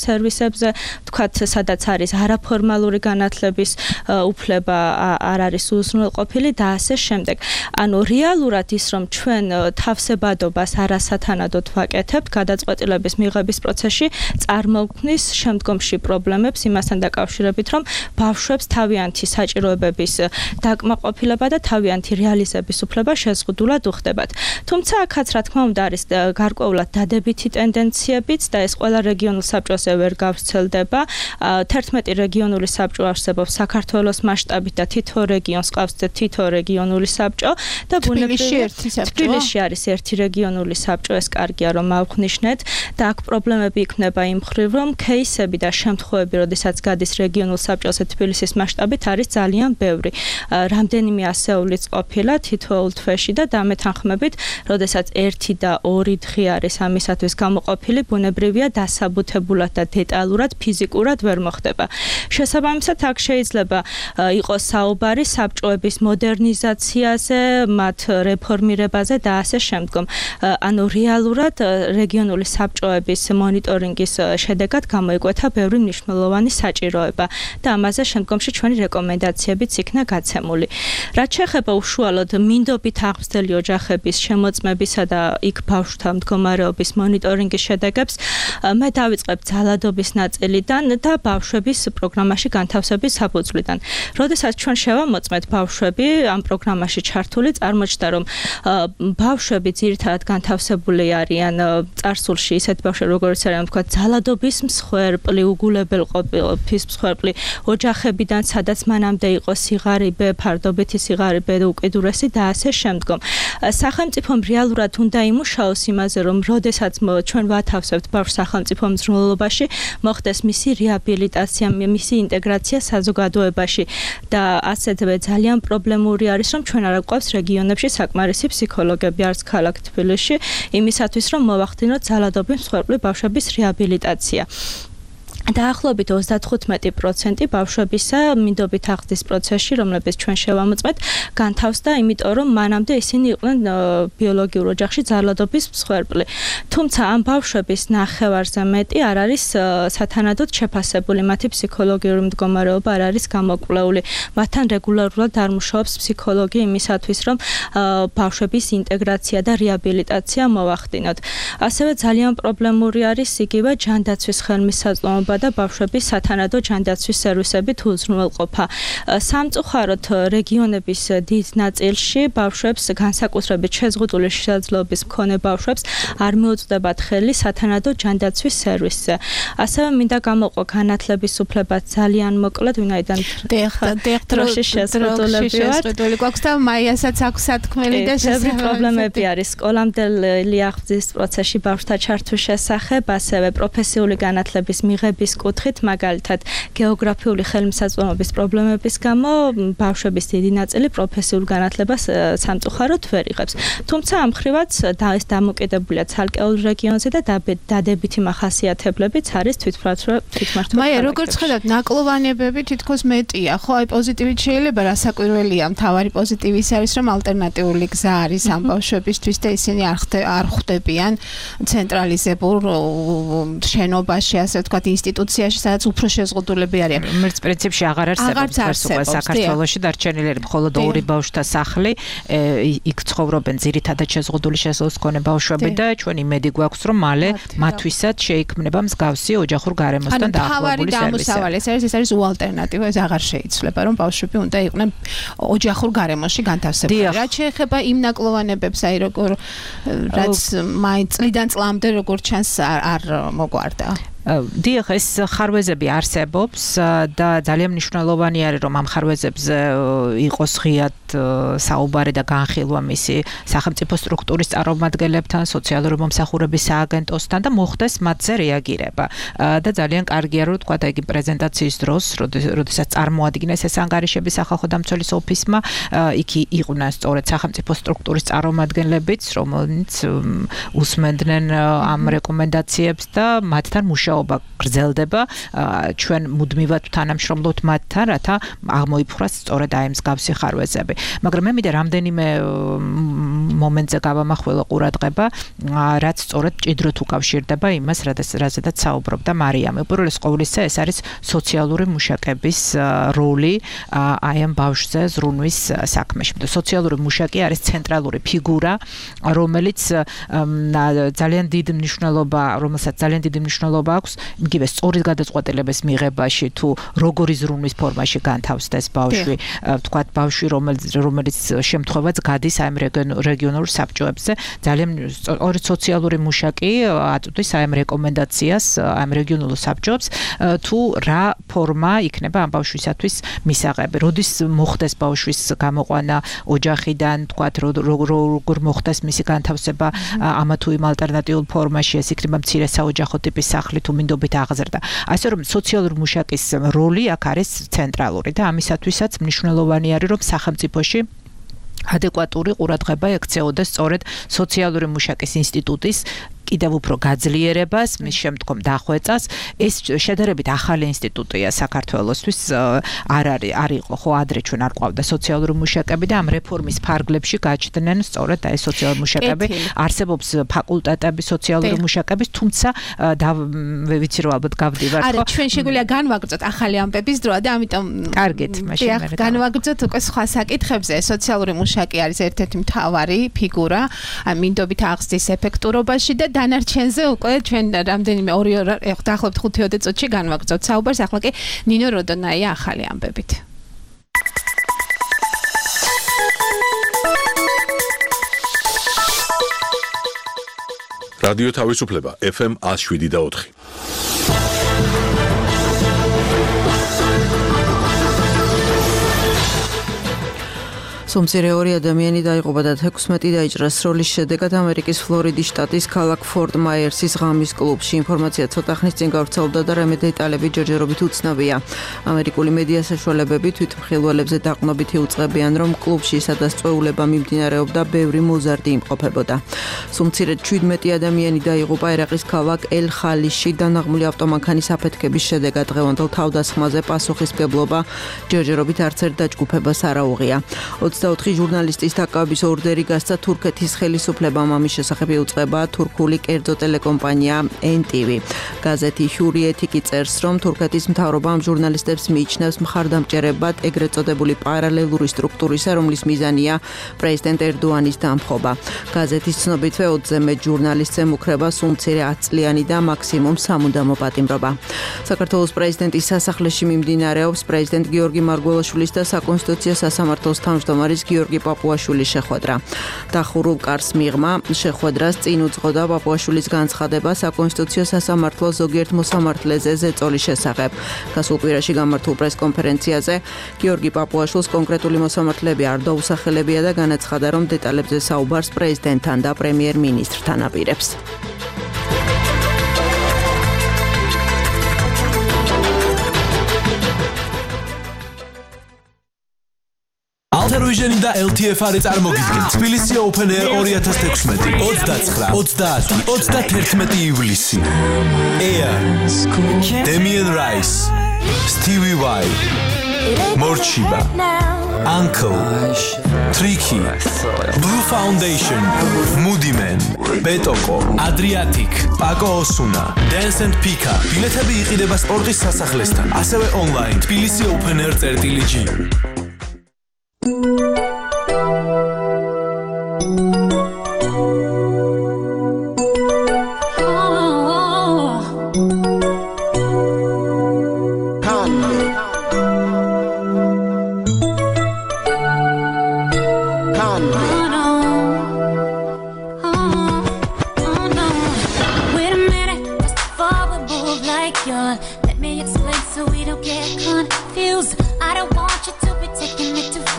სერვისებზე, ვთქვათ, სადაც არის არაფორმალური განათლების უფლება არ არის უზრუნველყოფილი და ასე შემდეგ. ანუ რეალურად ის, რომ ჩვენ თავსებადობას არასათანადოდ ვაკეთებთ გადაწყვეტილების მიღების პროცესში, წარმოქმნის შემდგომში პრობლემებს იმასთან დაკავშირებით, რომ ბავშვებს თავიანთი საჭიროებების დაკმაყოფილება და თავიანთი რეალიზების უფლება შეზღუდულად უხდებათ. თუმცა აქაც რა თქმა უნდა არის გარკვეულად დადებითი ტენდენციებიც და ეს ყველა რეგიონულ საბჭოზე ვერ გავრცელდება. თერთმეტი რეგიონული საბჭო არსებობს საქართველოს მასშტაბით და თითო რეგიონს ყავს თითო რეგიონული საბჭო და ბუნებრივია თბილისში არის ერთი რეგიონული საბჭო, ეს კარგია რომ ავხნიშნეთ და აქ პრობლემები იქნება იმ მხრივ, რომ кейსები და შემთხვევები, როდესაც გადის რეგიონულ საბჭოზე თბილისის მასშტაბით არის ძალიან ბევრი. რამდენიმე ასეულით დღის ყოფილა თითოეულ თვეში და დამეთანხმებით, როდესაც ერთი და ორი დღე არის ამისათვის გამოყოფილი, ბუნებრივია დასაბუთებულად და დეტალურად ფიზიკურად ვერ მოხდება. შესაბამისად, აქ შეიძლება იყოს საუბარი საბჭოების მოდერნიზაციაზე, მათ რეფორმირებაზე და ასე შემდგომ. ანუ რეალურად რეგიონული საბჭოების მონიტორინგის შედეგად გამოიკვეთა ბევრი მნიშვნელოვანი საჭიროება და ამაზე შემდგომში ჩვენი რეკომენდაციებიც იქნა გაცემული. რაც შეეხება უშუალოდ მინდობით აღზრდელი ოჯახების შემოწმებისა და იქ ბავშვთა მდგომარეობის მონიტორინგის შედეგებს, მე დავიწყებ ძალადობის ნაწილიდან და ბავშვების პროგრამაში განთავსების საფუძვლიდან. როდესაც ჩვენ შევამოწმეთ ბავშვები ამ პროგრამაში ჩართული, წარმოჩნდა რომ ბავშვები ძირითადად განთავსებული არიან წარსულში ისეთ ბავშვები როგორც არიან თქვა ძალადობის მსხვერპლი, უგულებელყოფის მსხვერპლი ოჯახებიდან, სადაც მანამდე იყო სიღარიბე, ფარდობითი სიღარიბე და უკიდურესი და ასე შემდგომ. სახელმწიფომ რეალურად უნდა იმუშაოს იმაზე, რომ როდესაც ჩვენ ვათავსებთ ბავშვს სახელმწიფო მზრუნველობაში, მოხდეს მისი რეაბილიტაცია, მისი ინტეგრაცია საზოგადოებაში და ასეთვე ძალიან პრობლემური არის, რომ ჩვენ არ გვყავს რეგიონებში საკმარისი ფსიქოლოგები, არც ქალაქ თბილისში, იმისათვის, რომ მოვახდინოთ ძალადობის მსხვერპლი ბავშვების რეაბილიტაცია. დაახლოებით ოცდათხუთმეტი პროცენტი ბავშვებისა მინდობით აღზრდის პროცესში, რომლებიც ჩვენ შევამოწმეთ, განთავსდა, იმიტომ რომ მანამდე ისინი იყვნენ ბიოლოგიურ ოჯახში ძალადობის მსხვერპლი. თუმცა ამ ბავშვების ნახევარზე მეტი არ არის სათანადოდ შეფასებული, მათი ფსიქოლოგიური მდგომარეობა არ არის გამოკვლეული. მათთან რეგულარულად არ მუშაობს ფსიქოლოგი იმისათვის, რომ ბავშვების ინტეგრაცია და რეაბილიტაცია მოვახდინოთ. ასევე ძალიან პრობლემური არის იგივე ჯანდაცვის ხელმისაწვდომობა და ბავშვების სათანადო ჯანდაცვის სერვისებით უზრუნველყოფა. სამწუხაროდ რეგიონების დიდ ნაწილში ბავშვებს, განსაკუთრებით შეზღუდული შესაძლებლობის მქონე ბავშვებს არ მიუწვდებათ ხელი სათანადო ჯანდაცვის სერვისზე. ასევე მინდა გამოვყო განათლების უფლებაც ძალიან მოკლედ, ვინაიდან დროში შეზღუდულები გვაქვს და მაიასაც აქვს სათქმელი და შესაძლებელი პრობლემები არის სკოლამდელი აღზრდის პროცესში ბავშვთა ჩართვის შესახებ, ასევე პროფესიული განათლების მიღების კუთხით, მაგალითად, გეოგრაფიული ხელმისაწვდომობის პრობლემების გამო ბავშვების დიდი ნაწილი პროფესიულ განათლებას სამწუხაროდ ვერ იღებს. თუმცა ამ მხრივაც ეს დამოკიდებულია ცალკეულ რეგიონზე და დადებითი მახასიათებლებიც არის თვითმმართველ. მაია, როგორც ხედავთ, ნაკლოვანებები თითქოს მეტია, ხო? აი პოზიტივით შეიძლება რასაკვირველია, მთავარი პოზიტივი ის არის, რომ ალტერნატიული გზა არის ამ ბავშვებისთვის და ისინი არ ხვდებიან ცენტრალიზებულ შენობაში, ასე ვთქვათ, ინსტიტუციაში, სადაც უფრო შეზღუდულები არიან. რომელიც პრინციპში აღარ არსებობს საქართველოში, დარჩენილი მხოლოდ ორი ბავშვთა სახლი, იქ ცხოვრობენ ძირითადად შეზღუდული შესაძლებლობის მქონე ბავშვები და ჩვენ იმედი გვაქვს, რომ მალე მათთვისაც შეიქმნება მსგავსი ოჯახურ გარემოსთან დაახლოებული სერვისი. ეს არის ეს არის უალტერნატივა, ეს აღარ შეიძლება, რომ ბავშვები უნდა იყვნენ ოჯახურ გარემოში განთავსებული. რაც შეეხება იმ ნაკლოვანებებს, აი როგორ რაც მაინც წლიდან წლამდე როგორ ჩანს არ მოგვარდა. დიახ, ეს ხარვეზები არსებობს და ძალიან მნიშვნელოვანი არის, რომ ამ ხარვეზებზე იყოს ღიად საუბარი და განხილვა მისი სახელმწიფო სტრუქტურის წარმომადგენლებთან, სოციალური მომსახურების სააგენტოსთან და მოხდეს მათზე რეაგირება. და ძალიან კარგია, რომ თქვა, იგი პრეზენტაციის დროს, როდესაც წარმოადგინეს ეს ანგარიშები სახალხო დამცველის ოფისმა, იქ იყვნენ სწორედ სახელმწიფო სტრუქტურის წარმომადგენლებიც, რომლებიც უსმენდნენ ამ რეკომენდაციებს და მათთან მუშაობა გრძელდება. ჩვენ მუდმივად თანამშრომლობთ მათთან, რათა აღმოიფხვრას სწორედ აი მსგავსი ხარვეზები. მაგრამ მე მინდა რამდენიმე მომენტზე გავამახვილო ყურადღება, რაც სწორედ ჭიდროდ უკავშირდება იმას, რაზედაც საუბრობდა მარიამ. უპირველეს ყოვლისა, ეს არის სოციალური მუშაკების როლი აი ამ ბავშვზე ზრუნვის საქმეში. სოციალური მუშაკი არის ცენტრალური ფიგურა, რომელიც ძალიან დიდი მნიშვნელობა, რომელსაც ძალიან დიდი მნიშვნელობა აქვს იგივე სწორი გადაწყვეტილების მიღებაში, თუ როგორი ზრუნვის ფორმაში განთავსდეს ბავშვი, ვთქვათ, ბავშვი, რომელიც შემთხვევაც გადის აი ამ რეგიონულ საბჭოებზე, ძალიან სწორი სოციალური მუშაკი აწვდის აი ამ რეკომენდაციას აი ამ რეგიონულ საბჭოებს, თუ რა ფორმა იქნება ამ ბავშვისათვის მისაღები. როდის მოხდეს ბავშვის გამოყვანა ოჯახიდან, ვთქვათ, როგორ მოხდეს მისი განთავსება ამა თუ იმ ალტერნატიულ ფორმაში, ეს იქნება მცირე საოჯახო ტიპის სახლი თუ მინდობით აღზრდა. ასე რომ სოციალური მუშაკის როლი აქ არის ცენტრალური და ამისათვისაც მნიშვნელოვანი არის, რომ სახელმწიფოში ადეკვატური ყურადღება ექცეოდა სწორედ სოციალური მუშაკის ინსტიტუტის კიდევ უფრო გაძლიერებას, მის შემდგომ დახვეწას. ეს შედარებით ახალი ინსტიტუტია საქართველოსთვის, არ არის არ იყო ხო ადრე ჩვენ არ ყავდა სოციალური მუშაკები და ამ რეფორმის ფარგლებში გაჩნდნენ სწორედ აი სოციალური მუშაკები. არსებობს ფაკულტეტები სოციალური მუშაკების, თუმცა ვიცი რომ ალბათ გავდივართ ხო? არა, ჩვენ შეგვიძლია განვაგრძოთ ახალი ამბების დროა და ამიტომ კარგით, მაშინ მე განვაგრძოთ უკვე სხვა საკითხებზე. სოციალური მუშაკი არის ერთ-ერთი მთავარი ფიგურა მინდობით აღზრდის ეფექტურობაში და დანარჩენზე უკვე ჩვენ რამდენიმე ორი დაახლოებით ხუთი ოცი წუთში განვაგრძოთ საუბარს. ახლა კი ნინო როდონაია ახალი ამბებით. რადიო თავისუფლება ეფ ემ one oh seven და four. სომცირე ორი ადამიანი დაიღუპა და თექვსმეტი დაიჭრა სროლის შედეგად ამერიკის ფლორიდის შტატის ქალაქ ფორტ მაიერსის ღამის კლუბში. ინფორმაცია ცოტა ხნის წინ გავრცელდა და რამე დეტალები ჯერჯერობით უცნობია. ამერიკული მედია საშუალებები თვითმხილველებზე დაყრდნობით იუწყებიან, რომ კლუბში სადაც წვეულება მიმდინარეობდა, ბევრი მოზარდი იმყოფებოდა. სომცირე შვიდმეტი ადამიანი დაიღუპა ერაყის ქალაქ ელ-ხალიში დანაღმული ავტომანქანის აფეთქების შედეგად. დღევანდელ თავდასხმაზე პასუხისმგებლობა ჯერჯერობით არც ერთ დაჯგუფებას არ აუღია. ოცდაოთხი ჟურნალისტის დაკავების ორდერი გასცა თურქეთის ხელისუფლებამ. ამის შესახებ იუწყება თურქული კერძო ტელეკომპანია ენ ტი ვი. გაზეთი ჰურიეთი წერს, რომ თურქეთის მთავრობა ამ ჟურნალისტებს მიიჩნევს მხარდამჭერებად ეგრეთ წოდებული პარალელური სტრუქტურისა, რომლის მიზანია პრეზიდენტ ერდოანის დამხობა. გაზეთის ცნობითვე ოცზე მეტ ჟურნალისტს ემუქრება სულმცირე ათ წლიანი და მაქსიმუმ სამუდამო პატიმრობა. საქართველოს პრეზიდენტის სასახლეში მიმდინარეობს პრეზიდენტ გიორგი მარგველაშვილის და საკონსტიტუციო სასამართლოს თავმჯდომარის გიორგი პაპუაშვილის შეხვედრა. დახურულ კარს მიღმა შეხვედრას წინ უძღოდა პაპუაშვილის განცხადება საკონსტიტუციო სასამართლოს ზოგიერთ მოსამართლეზე ზეწოლის შესახებ. გასულ კვირაში გამართულ პრესკონფერენციაზე გიორგი პაპუაშვილს კონკრეტული მოსამართლეები არ დაუსახელებია და განაცხადა, რომ დეტალებზე საუბარს პრეზიდენტთან და პრემიერ-მინისტრთან აპირებს. Alter-Vision და ელ თი ეფ არის წარმოგიდგენთ თბილისი Open Air twenty sixteen ოცდაცხრა, ოცდაათი, ოცდაათი ივლისი. Air, Damien Rice, Stevie Vai, Morchiba, Uncle, Tricky, Blue Foundation, Moody Man, Betoko, Adriatic, Paco Osuna, Dance and Pika. ბილეთები იყიდება სპორტის სასახლესთან, ასევე online თბილისი Open Air წერტილი-ჯი.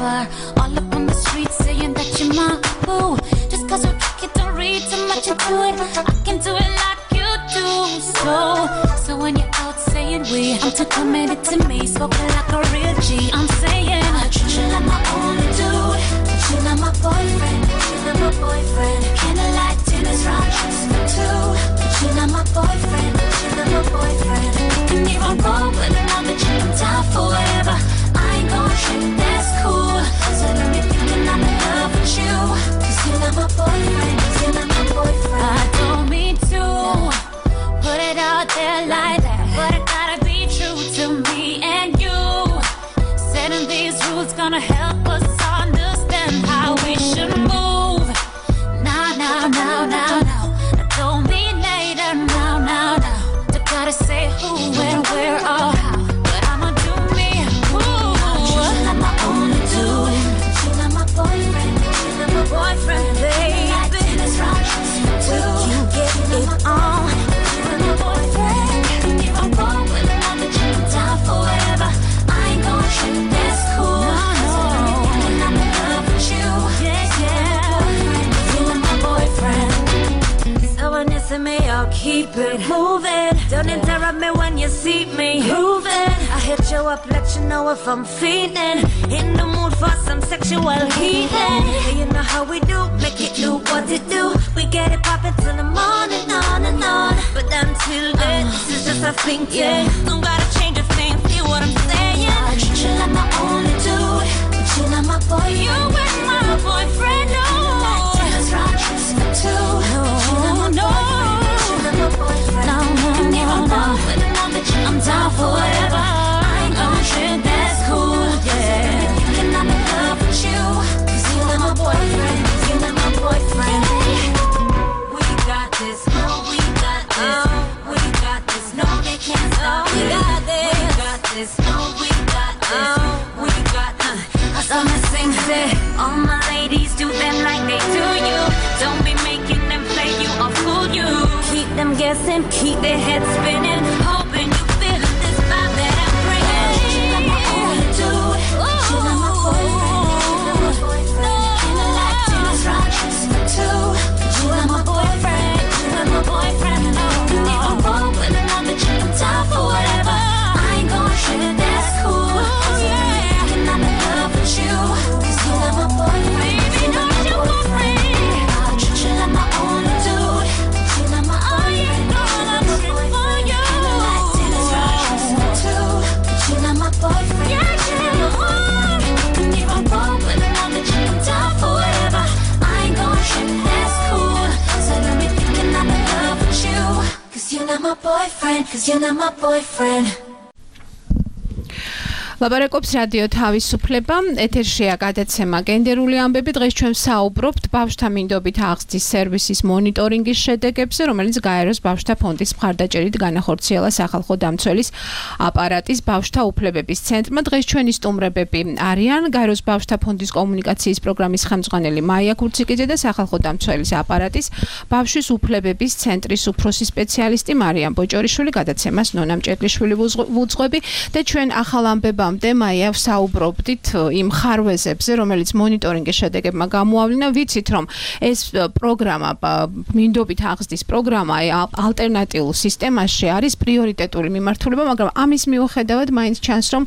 All up on the street saying that you're my boo. Just cause we're kicking, don't read too much into it. I can do it like you do. So, so when you're out saying we, I'm too committed to me. Spoken like a real G. I'm saying I treat you like my only dude. Treat you like my boyfriend. Treat you like my boyfriend. Candlelight dinners, round trips for two. Treat you like my boyfriend. Treat you like my boyfriend. You can even roll with another chick. I'm down for whatever. I ain't gon' trip, that's cool. So don't be thinking I'm in love with you. Cause you're not my boyfriend, cause you're not my boyfriend. I don't mean to put it out there like that, but I gotta be true to me and you. Setting these rules gonna help us understand how we should move. Now, now, now, now, now. I don't mean later, now, now, now. Don't gotta say who, when, where, or how. But I'ma do me. Boyfriend, my boyfriend, baby. Tennis round trips for two. You get it on. You're my boyfriend. If I'm wrong with another chick, I'm down for whatever. I ain't gon' trip, that's cool. So don't be keep it moving. Don't interrupt me when you see me moving. I hit you up, let you know if I'm feeling in the mood for some sexual healing. Hey, you know how we do, make it do what it do. We get it poppin' till the morning, on and on. But until then, uh, this is just a thing, yeah. Don't gotta change a thing, feel what I'm saying. I treat you like my only dude, but you not my boyfriend. You ain't my boyfriend, no. Like Dennis Rodgers too. No, no, no, no, no. I'm down for whatever. I ain't gonna trip, that's cool, yeah. Thinking I'm in love with you, cause you're not my boyfriend, you're not my boyfriend. We got this, no, we got this, we got this, no, they can't stop it. We got this, we got this, no, we got this, we got this. I saw me sing, say, all my ladies do them like they do you. Don't be making them play you or fool you. Keep them guessing, keep their heads spinning, hoping you feel this vibe that I'm bringing. You're my only dude, you're not my boyfriend. And I like Dennis Rodgers too. You're not my boyfriend, you're not my boyfriend. And if I'm wrong with another chick, I'm down for whatever. I ain't gonna trip, that's cool. Thinking I'm in love with you, cause you're not my boyfriend. Baby, not your boyfriend. I treat you like my only dude. You're not my only my boyfriend, cause you're not my boyfriend. ლაპარაკობს რადიო თავისუფლება, ეთერშია გადაცემა გენდერული ამბები. დღეს ჩვენ საუბრობთ ბავშვთა მინდობით აღზრდის სერვისის მონიტორინგის შედეგებზე, რომელიც გაეროს ბავშვთა ფონდის მხარდაჭერით განახორციელა სახალხო დამცველის აპარატის ბავშვთა უფლებების ცენტრმა. დღეს ჩვენი სტუმრებები არიან გაეროს ბავშვთა ფონდის კომუნიკაციის პროგრამის ხელმძღვანელი მაია ქურციკიძე და სახალხო დამცველის აპარატის ბავშვის უფლებების ცენტრის უფროსი სპეციალისტი მარიამ ბოჭორიშვილი. გადაცემას ნონა მჭედლიშვილი ვუძღვები და ჩვენ ახალ ამბებამ მაია საუბრობდით იმ ხარვეზებზე, რომელიც მონიტორინგის შედეგებმა გამოავლინა. ვიცით, რომ ეს პროგრამა, მინდობით აღზრდის პროგრამა ალტერნატიულ სისტემაში არის პრიორიტეტული მიმართულება, მაგრამ ამის მიუხედავად მაინც ჩანს, რომ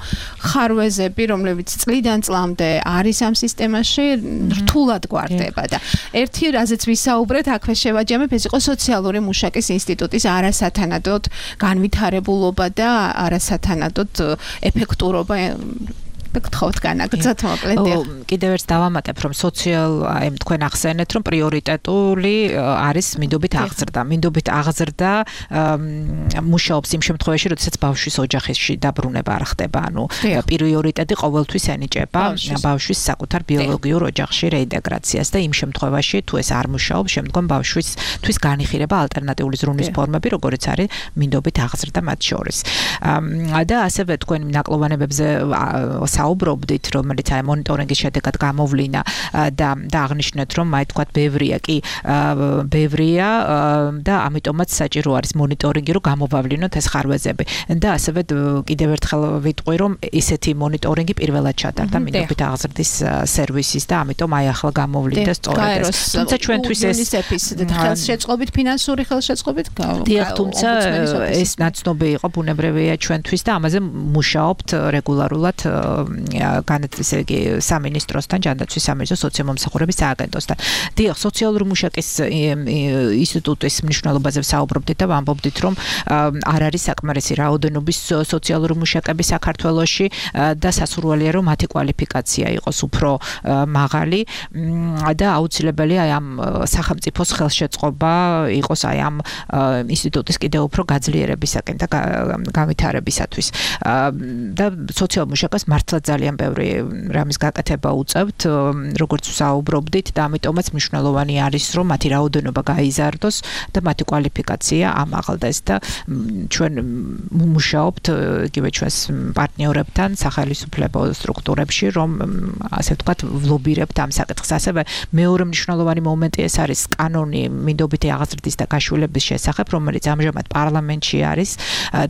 ხარვეზები, რომლებიც წლიდან წლამდე არის ამ სისტემაში, რთულად გვარდება და ერთი რაზეც ვისაუბრეთ, აქვე შევაჯამებ, ეს იყო სოციალური მუშაკის ინსტიტუტის არასათანადოდ განვითარებულობა და არასათანადოდ ეფექტურობა. გთხოვთ განაგრძოთ მოკლედ. კიდევ ერთ დავამატებ, რომ სოციალ, აი თქვენ ახსენეთ, რომ პრიორიტეტული არის მინდობით აღზრდა. მინდობით აღზრდა მუშაობს იმ შემთხვევაში, როდესაც ბავშვის ოჯახში დაბრუნება არ ხდება. ანუ პრიორიტეტი ყოველთვის ენიჭება ბავშვის საკუთარ ბიოლოგიურ ოჯახში რეინტეგრაციას და იმ შემთხვევაში, თუ ეს არ მუშაობს, შემდგომ ბავშვისთვის განიხილება ალტერნატიული ზრუნვის ფორმები, როგორიც არის მინდობით აღზრდა მათ შორის. და ასევე თქვენ ნაკლოვანებებზე საუბრობდით, რომელიც აი მონიტორინგის შედეგად გამოვლინა და დააღნიშნეთ, რომ აი თქვა ბევრია კი ბევრია და ამიტომაც საჭირო არის მონიტორინგი, რომ გამოვავლინოთ ეს ხარვეზები. და ასევე კიდევ ერთხელ ვიტყვი, რომ ესეთი μονიტორინგი პირველად ჩატარდა მინდობით აღზრდის სერვისის და ამიტომ აი ახლა გამოვლინდა სწორედ ეს. თუმცა ჩვენთვის ეს ხელშეწყობით, ფინანსური ხელშეწყობით დიახ, თუმცა ეს ნაცნობი იყო, ბუნებრივია ჩვენთვის და ამაზე მუშაობთ რეგულარულად განათლისა და სამინისტროსთან, ჯანდაცვის სამინისტროს სოციალმომსახურების სააგენტოსთან. დიახ, სოციალური მუშაკის ინსტიტუტის მნიშვნელობაზე ვსაუბრობდით და ვამბობდით, რომ არ არის საკმარისი რაოდენობის სოციალური მუშაკები საქართველოში და სასურველია, რომ მათი კვალიფიკაცია იყოს უფრო მაღალი და აუცილებელია აი ამ სახელმწიფოს ხელშეწყობა იყოს აი ამ ინსტიტუტის კიდევ უფრო გაძლიერებისაკენ და განვითარებისათვის. და სოციალურ მუშაკას მართლა ძალიან ბევრი რამის გაკეთება უწევთ, როგორც ვსაუბრობდით და ამიტომაც მნიშვნელოვანი არის, რომ მათი რაოდენობა გაიზარდოს და მათი კვალიფიკაცია ამაღლდეს და ჩვენ მუშაობთ იგივე ჩვენს პარტნიორებთან სახელმწიფო სტრუქტურებში, რომ ასე ვთქვათ, ვლობირებთ ამ საკითხს. ასევე მეორე მნიშვნელოვანი მომენტი ეს არის კანონი მინდობითი აღზრდის და გაშვილების შესახებ, რომელიც ამჟამად პარლამენტში არის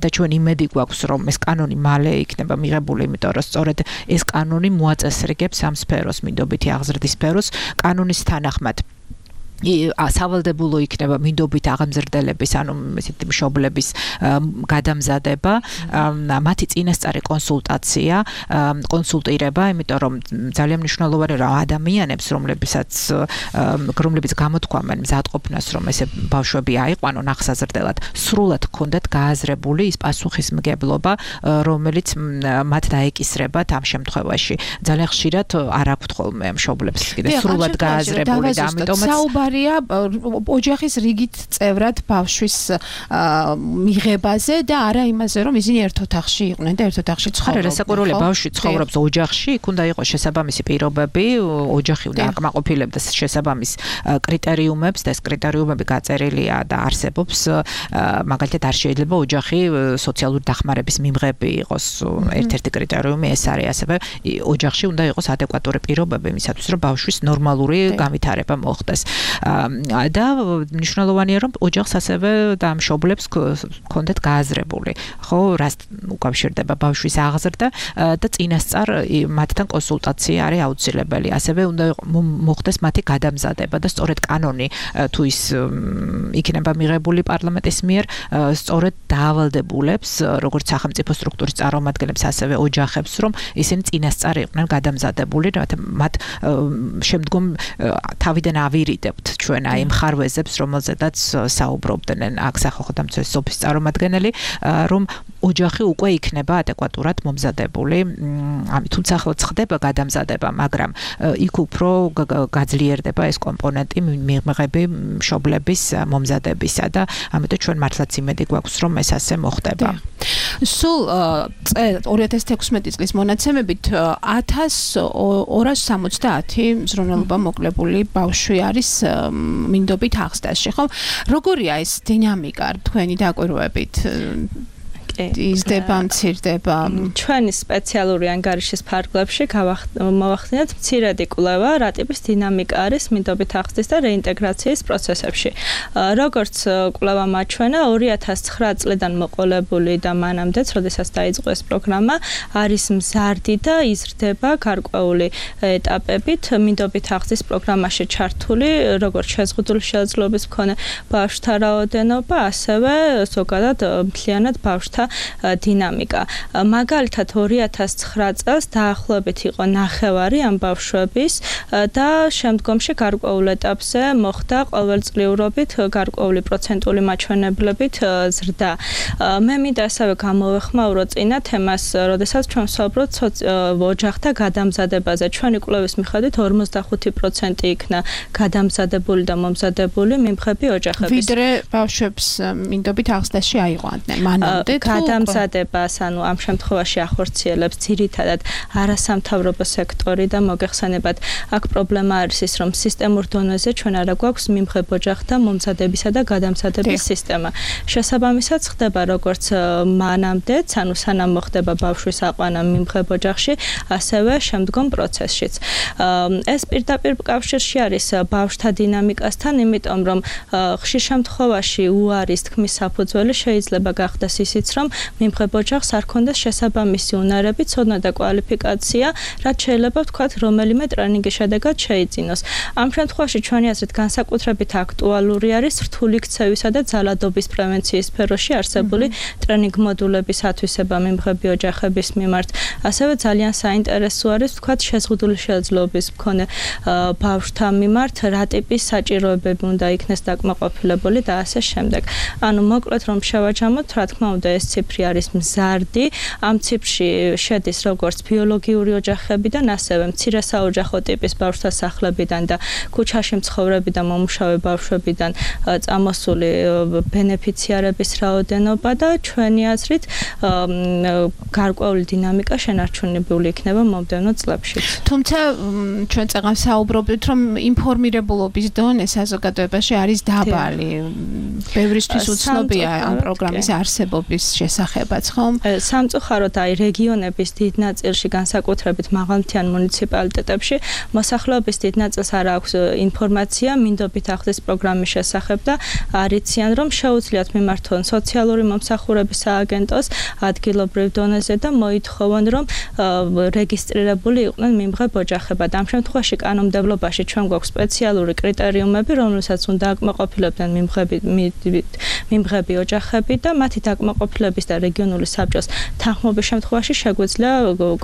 და ჩვენ იმედი გვაქვს, რომ ეს კანონი მალე იქნება მიღებული, იმიტომ რომ სწორედ ეს კანონი მოაწესრიგებს ამ სფეროს, მინდობითი აღზრდის სფეროს. კანონის თანახმად სავალდებულო იქნება მინდობით აღამზრდელების, ანუ ესეთი მშობლების გადამზადება, მათი წინასწარი კონსულტაცია, კონსულტირება, იმიტომ რომ ძალიან მნიშვნელოვანია რა ადამიანებს, რომლებსაც რომლებიც გამოთქვამენ მზადყოფნას, რომ ესე ბავშვები აიყვანონ აღსაზრდელად, სრულად ჰქონდათ გააზრებული ის პასუხისმგებლობა, რომელიც მათ დაეკისრებათ ამ შემთხვევაში. ძალიან ხშირად არ აქვთ ხოლმე მშობლებს კიდე სრულად გააზრებული და ამიტომაც საუბარია ოჯახის რიგით წევრად ბავშვის მიღებაზე და არა იმაზე, რომ ისინი ერთ ოთახში იყვნენ და ერთ ოთახში ცხოვრობდნენ. არა, საკურველია ბავშვი ცხოვრობს ოჯახში, იქ უნდა იყოს შესაბამისი პირობები, ოჯახი უნდა აკმაყოფილებდეს შესაბამის კრიტერიუმებს და ეს კრიტერიუმები გაწერილია და არსებობს. მაგალითად არ შეიძლება ოჯახი სოციალური დახმარების მიმღები იყოს ერთ-ერთი კრიტერიუმი ეს არის, ასევე ოჯახში უნდა იყოს ადეკვატური პირობები იმისათვის, რომ ბავშვის ნორმალური განვითარება მოხდეს. და მნიშვნელოვანია, რომ ოჯახს ასევე და მშობლებს ჰქონდეთ გააზრებული, ხო, რას უკავშირდება ბავშვის აღზრდა და წინასწარ მათთან კონსულტაცია არის აუცილებელი. ასევე უნდა მოხდეს მათი გადამზადება და სწორედ კანონი თუ ის იქნება მიღებული პარლამენტის მიერ, სწორედ დაავალდებულებს როგორც სახელმწიფო სტრუქტურის წარმომადგენლებს, ასევე ოჯახებს, რომ ისინი წინასწარ იყვნენ გადამზადებული, რათა მათ შემდგომ თავიდან ავირიდებთ ჩვენ აი მხარვეზებს, რომელზედაც საუბრობდნენ აქ სახალხო დამცველის ოფისის წარმომადგენელი, რომ ოჯახი უკვე იქნება ადეკვატურად მომზადებული. თუმცა ახლა ხდება გადამზადება, მაგრამ იქ უფრო გაძლიერდება ეს კომპონენტი მიღები მშობლების მომზადებისა და ამიტომ ჩვენ მართლაც იმედი გვაქვს, რომ ეს ასე მოხდება. სულ ორი ათას თექვსმეტი წლის მონაცემებით ათას ორას სამოცდაათი მზრუნველობა მოკლებული ბავშვი არის მინდობით აღზრდაში, ხო? როგორია ეს დინამიკა თქვენი დაკვირვებით? იზრდება, მცირდება. ჩვენი სპეციალური ანგარიშის ფარგლებში მოვახდინეთ მცირედი კვლევა, რა ტიპის დინამიკა არის მინდობით აღზრდის და რეინტეგრაციის პროცესებში. როგორც კვლევა მაჩვენა, ორი ათას ცხრა წლიდან მოყოლებული და მანამდეც, როდესაც დაიწყო ეს პროგრამა, არის მზარდი და იზრდება გარკვეული ეტაპებით მინდობით აღზრდის პროგრამაში ჩართული, როგორც შეზღუდული შესაძლებლობის მქონე ბავშვთა რაოდენობა, ასევე ზოგადად მთლიანად ბავშვთა დინამიკა. მაგალითად ორი ათას ცხრა წელს დაახლოებით იყო ნახევარი ამ ბავშვების და შემდგომში გარკვეულ ეტაპზე მოხდა ყოველწლიურობით გარკვეული პროცენტული მაჩვენებლებით ზრდა. მე მინდა ასევე გამოვეხმაურო წინა თემას, როდესაც ჩვენ ვსაუბრობთ ოჯახთა გადამზადებაზე. ჩვენი კვლევის მიხედვით ორმოცდახუთი პროცენტი იქნა გადამზადებული და მომზადებული მიმღები ოჯახების. ვიდრე ბავშვებს მინდობით აღზრდაში აიყვანდნენ მანამდე. გადამზადებას, ანუ ამ შემთხვევაში ახორციელებს ძირითადად არასამთავრობო სექტორი და მოგეხსენებათ, აქ პრობლემა არის ის, რომ სისტემურ დონეზე ჩვენ არა გვაქვს მიმღებ ოჯახთა მომზადებისა და გადამზადების სისტემა. შესაბამისად ხდება როგორც მანამდეც, ანუ სანამ მოხდება ბავშვის აყვანა მიმღებ ოჯახში, ასევე შემდგომ პროცესშიც. ეს პირდაპირ კავშირში არის ბავშვთა დინამიკასთან, იმიტომ რომ ხშირ შემთხვევაში უარის თქმის საფუძველი შეიძლება გახდეს ისიც, რომ მიმღებ ოჯახს არ ქონდეს შესაბამისი უნარები, ცოდნა და კვალიფიკაცია, რაც შეიძლება ვთქვათ, რომელიმე ტრენინგის შედეგად შეიძინოს. ამ შემთხვევაში ჩვენი აზრით განსაკუთრებით აქტუალური არის რთული ქცევისა და ძალადობის პრევენციის სფეროში არსებული ტრენინგ მოდულების ათვისება მიმღები ოჯახების მიმართ. ასევე ძალიან საინტერესო არის ვთქვათ, შეზღუდული შესაძლებლობის მქონე ბავშვთა მიმართ, რა ტიპის საჭიროებები უნდა იქნეს დაკმაყოფილებული და ასე შემდეგ. ანუ მოკლედ რომ შევაჯამოთ, რა თქმა უნდა ეს ციფრი არის მზარდი. ამ ციფრში შედის როგორც ბიოლოგიური ოჯახებიდან, ასევე მცირე საოჯახო ტიპის ბავშვთა სახლებიდან და ქუჩაში მცხოვრები და მომუშავე ბავშვებიდან წამოსული ბენეფიციარების რაოდენობა და ჩვენი აზრით გარკვეული დინამიკა შენარჩუნებული იქნება მომდევნო წლებში. თუმცა ჩვენ წეგან საუბრობთ, რომ ინფორმირებულობის დონე საზოგადოებაში არის დაბალი. ბევრისთვის უცნობია ამ პროგრამის არსებობის შესახებაც, ხო? სამწუხაროდ აი რეგიონების დიდ ნაწილში, განსაკუთრებით მაღალმთიან მუნიციპალიტეტებში, მოსახლეობის დიდ ნაწილს არ აქვს ინფორმაცია მინდობით ახდის პროგრამის შესახებ და არიციან, რომ შეუძლიათ მიმართონ სოციალური მომსახურების სააგენტოს ადგილობრივ დონეზე და მოითხოვონ, რომ რეგისტრირებული იყვნენ მიმღებ ოჯახებად. ამ შემთხვევაში კანონმდებლობაში ჩვენ გვაქვს სპეციალური კრიტერიუმები, რომელსაც უნდა აკმაყოფილებდნენ მიმღები მიმღები ოჯახები და მათი დაკმაყოფილების და რეგიონული საბჭოს თანხმობის შემთხვევაში შეგვიძლია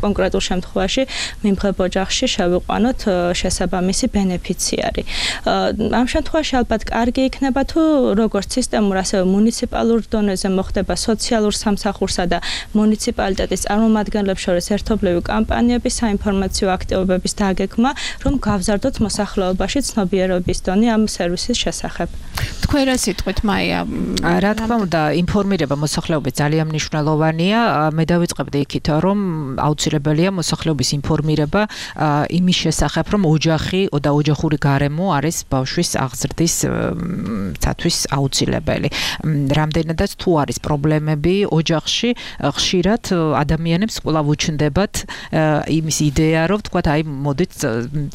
კონკრეტულ შემთხვევაში მიმღებ ოჯახში შევიყვანოთ შესაბამისი ბენეფიციარი. ამ შემთხვევაში ალბათ კარგი იქნება თუ როგორც სისტემურ, ასევე მუნიციპალურ დონეზე მოხდება სოციალურ სამსახურსა და მუნიციპალიტეტის წარმომადგენლებს შორის ერთობლივი კამპანიების საინფორმაციო აქტივობების დაგეგმა, რომ გავზარდოთ მოსახლეობაში ცნობიერების დონე ამ სერვისის შესახებ. თქვენ რა სიტყვით, მაია? რა თქმა უნდა, ინფორმირება მოსახლეობის ძალიან მნიშვნელოვანია. მე დავიწყებდი იქით, რომ აუცილებელია მოსახლეობის ინფორმირება იმის შესახებ, რომ ოჯახი და ოჯახური გარემო არის ბავშვის აღზრდის ცათვის აუცილებელი. რამდენადაც თუ არის პრობლემები ოჯახში, ხშირად ადამიანებს კვლავ უჩნდებათ იმის იდეა, რომ თქვათ, აი მოდით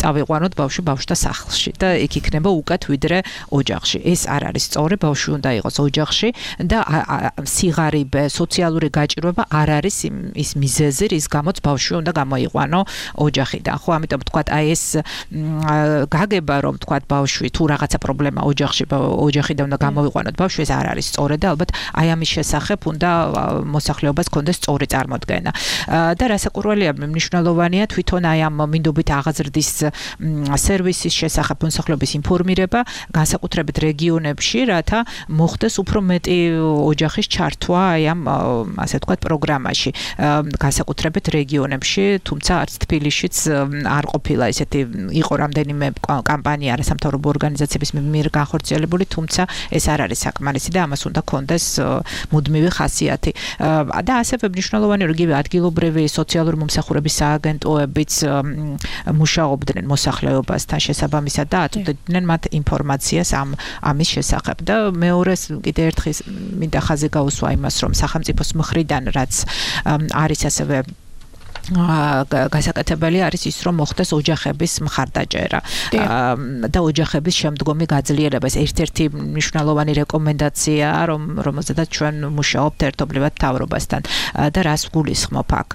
წავიყვანოთ ბავშვი ბავშვთა სახლში და იქ იქნება უკეთ ვიდრე ოჯახში. ეს არ არის სწორი, ბავშვი უნდა იყოს ოჯახში და სიღარიბე, სოციალური გაჭირვება არ არის ის მიზეზი, რის გამოც ბავშვი უნდა გამოიყვანო ოჯახიდან. ხო, ამიტომ თქვათ, აი ეს გაგება, რომ თქვათ ბავშვი თუ რაღაცა პრობლემა ოჯახში ოჯახიდან უნდა გამოიყვანოთ ბავშვი, ეს არ არის სწორი და ალბათ აი ამის შესახებ უნდა მოსახლეობას კონდეს სწორი წარმოდგენა. და რასაკვირველია, მნიშვნელოვანია თვითონ აი ამ მინდობით აღაზრდის სერვისის შესახებ მოსახლეობის ინფორმირება, განსაკუთრებით რეგიონებში, რათა მოხდეს უფრო მეტი ოჯახის ჩართვა აი ამ ასე ვთქვათ პროგრამაში, განსაკუთრებით რეგიონებში, თუმცა არც თბილისშიც არ ყოფილა ესეთი, იყო რამდენიმე კამპანია არასამთავრობო ორგანიზაციების მიერ განხორციელებული, თუმცა ეს არ არის საკმარისი და ამას უნდა კონდეს მუდმივი ხასიათი. და ასევე მნიშვნელოვანია, რომ ადგილობრივი სოციალური მომსახურების სააგენტოებიც მუშაობდნენ მოსახლეობასთან შესაბამისად და აწვდიდნენ მათ ინფორმაციას ამ ამის შესახებ. და მეორეს კიდე ერთხელ მინდა ხაზი გაუსვა იმას, რომ სახელმწიფოს მხრიდან რაც არის ასევე გასაკეთებელი არის ის, რომ მოხდეს ოჯახების მხარდაჭერა და ოჯახების შემდგომი გაძლიერება. ეს ერთ-ერთი მნიშვნელოვანი რეკომენდაცია, რომ რომელზედაც ჩვენ მუშაობთ ერთობლივად მთავრობასთან და რას გულისხმობ აქ.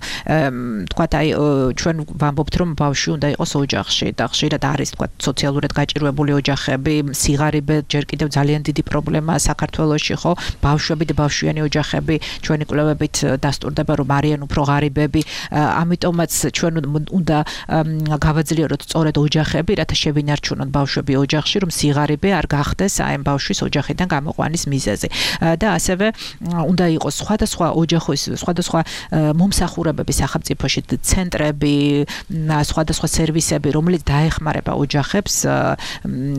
თქვათ, აი ჩვენ ვამბობთ, რომ ბავშვი უნდა იყოს ოჯახში და ხშირად არის თქვათ სოციალურად გაჭირვებული ოჯახები, სიღარიბე ჯერ კიდევ ძალიან დიდი პრობლემაა საქართველოში, ხო? ბავშვები და ბავშვიანი ოჯახები ჩვენი კვლევებით დასტურდება, რომ არიან უფრო ღარიბები. ამიტომაც ჩვენ უნდა გავაძლიეროთ სწორედ ოჯახები, რათა შევინარჩუნოთ ბავშვები ოჯახში, რომ სიღარიბე არ გახდეს აი ამ ბავშვის ოჯახიდან გამოყვანის მიზეზი. და ასევე უნდა იყოს სხვადასხვა ოჯახის, სხვადასხვა მომსახურებები სახელმწიფოში, ცენტრები, სხვადასხვა სერვისები, რომლებიც დაეხმარება ოჯახებს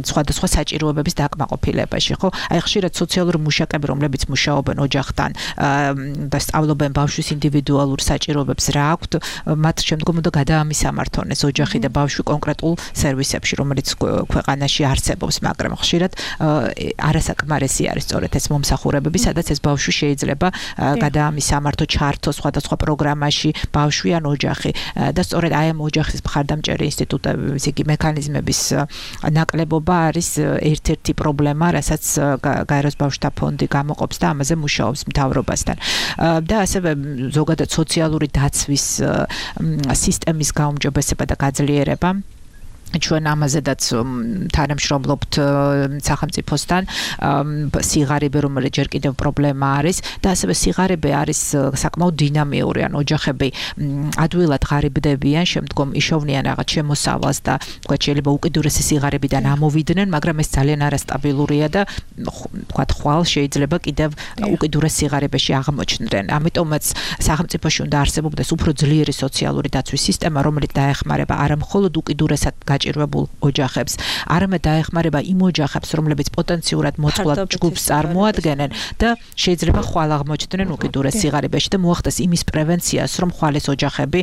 სხვადასხვა საჭიროებების დაკმაყოფილებაში, ხო? აი ხშირად სოციალური მუშაკები, რომლებიც მუშაობენ ოჯახთან და სწავლობენ ბავშვის ინდივიდუალურ საჭიროებებს, რა აქვთ, მათ შემდგომ უნდა გადაამისამართონ ეს ოჯახი და ბავშვი კონკრეტულ სერვისებში, რომელიც ქვეყანაში არსებობს, მაგრამ ხშირად არასაკმარისი არის სწორედ ეს მომსახურებები, სადაც ეს ბავშვი შეიძლება გადაამისამართო, ჩართო სხვადასხვა პროგრამაში ბავშვი ან ოჯახი და სწორედ აი ამ ოჯახის მხარდამჭერი ინსტიტუტების იგი მექანიზმების ნაკლებობა არის ერთ-ერთი პრობლემა, რასაც გაეროს ბავშვთა ფონდი გამოყოფს და ამაზე მუშაობს მთავრობასთან. და ასევე ზოგადად სოციალური დაცვის სისტემის გაუმჯობესება და გაძლიერება. ჩვენ ამაზედაც თანამშრომლობთ სახელმწიფოსთან, სიღარიბე, რომელიც ჯერ კიდევ პრობლემა არის და ასევე სიღარიბე არის საკმაოდ დინამიური, ან ოჯახები ადვილად ღარიბდებიან, შემდგომ იშოვნიან რაღაც შემოსავალს და თქვა შეიძლება უკიდურესი სიღარიბიდან ამოვიდნენ, მაგრამ ეს ძალიან არასტაბილურია და თქვა ხვალ შეიძლება კიდევ უკიდურეს სიღარიბეში აღმოჩნდნენ. ამიტომაც სახელმწიფოში უნდა არსებობდეს უფრო ძლიერი სოციალური დაცვის სისტემა, რომელიც დაეხმარება არა მხოლოდ უკიდურესად საჭიროებულ ოჯახებს, არამედ დაეხმარება იმ ოჯახებს, რომლებიც პოტენციურად მოწყვლად ჯგუფს წარმოადგენენ და შეიძლება ხვალ აღმოჩნდნენ უკიდურეს სიღარიბეში და მოახდეს იმის პრევენციას, რომ ხვალეს ოჯახები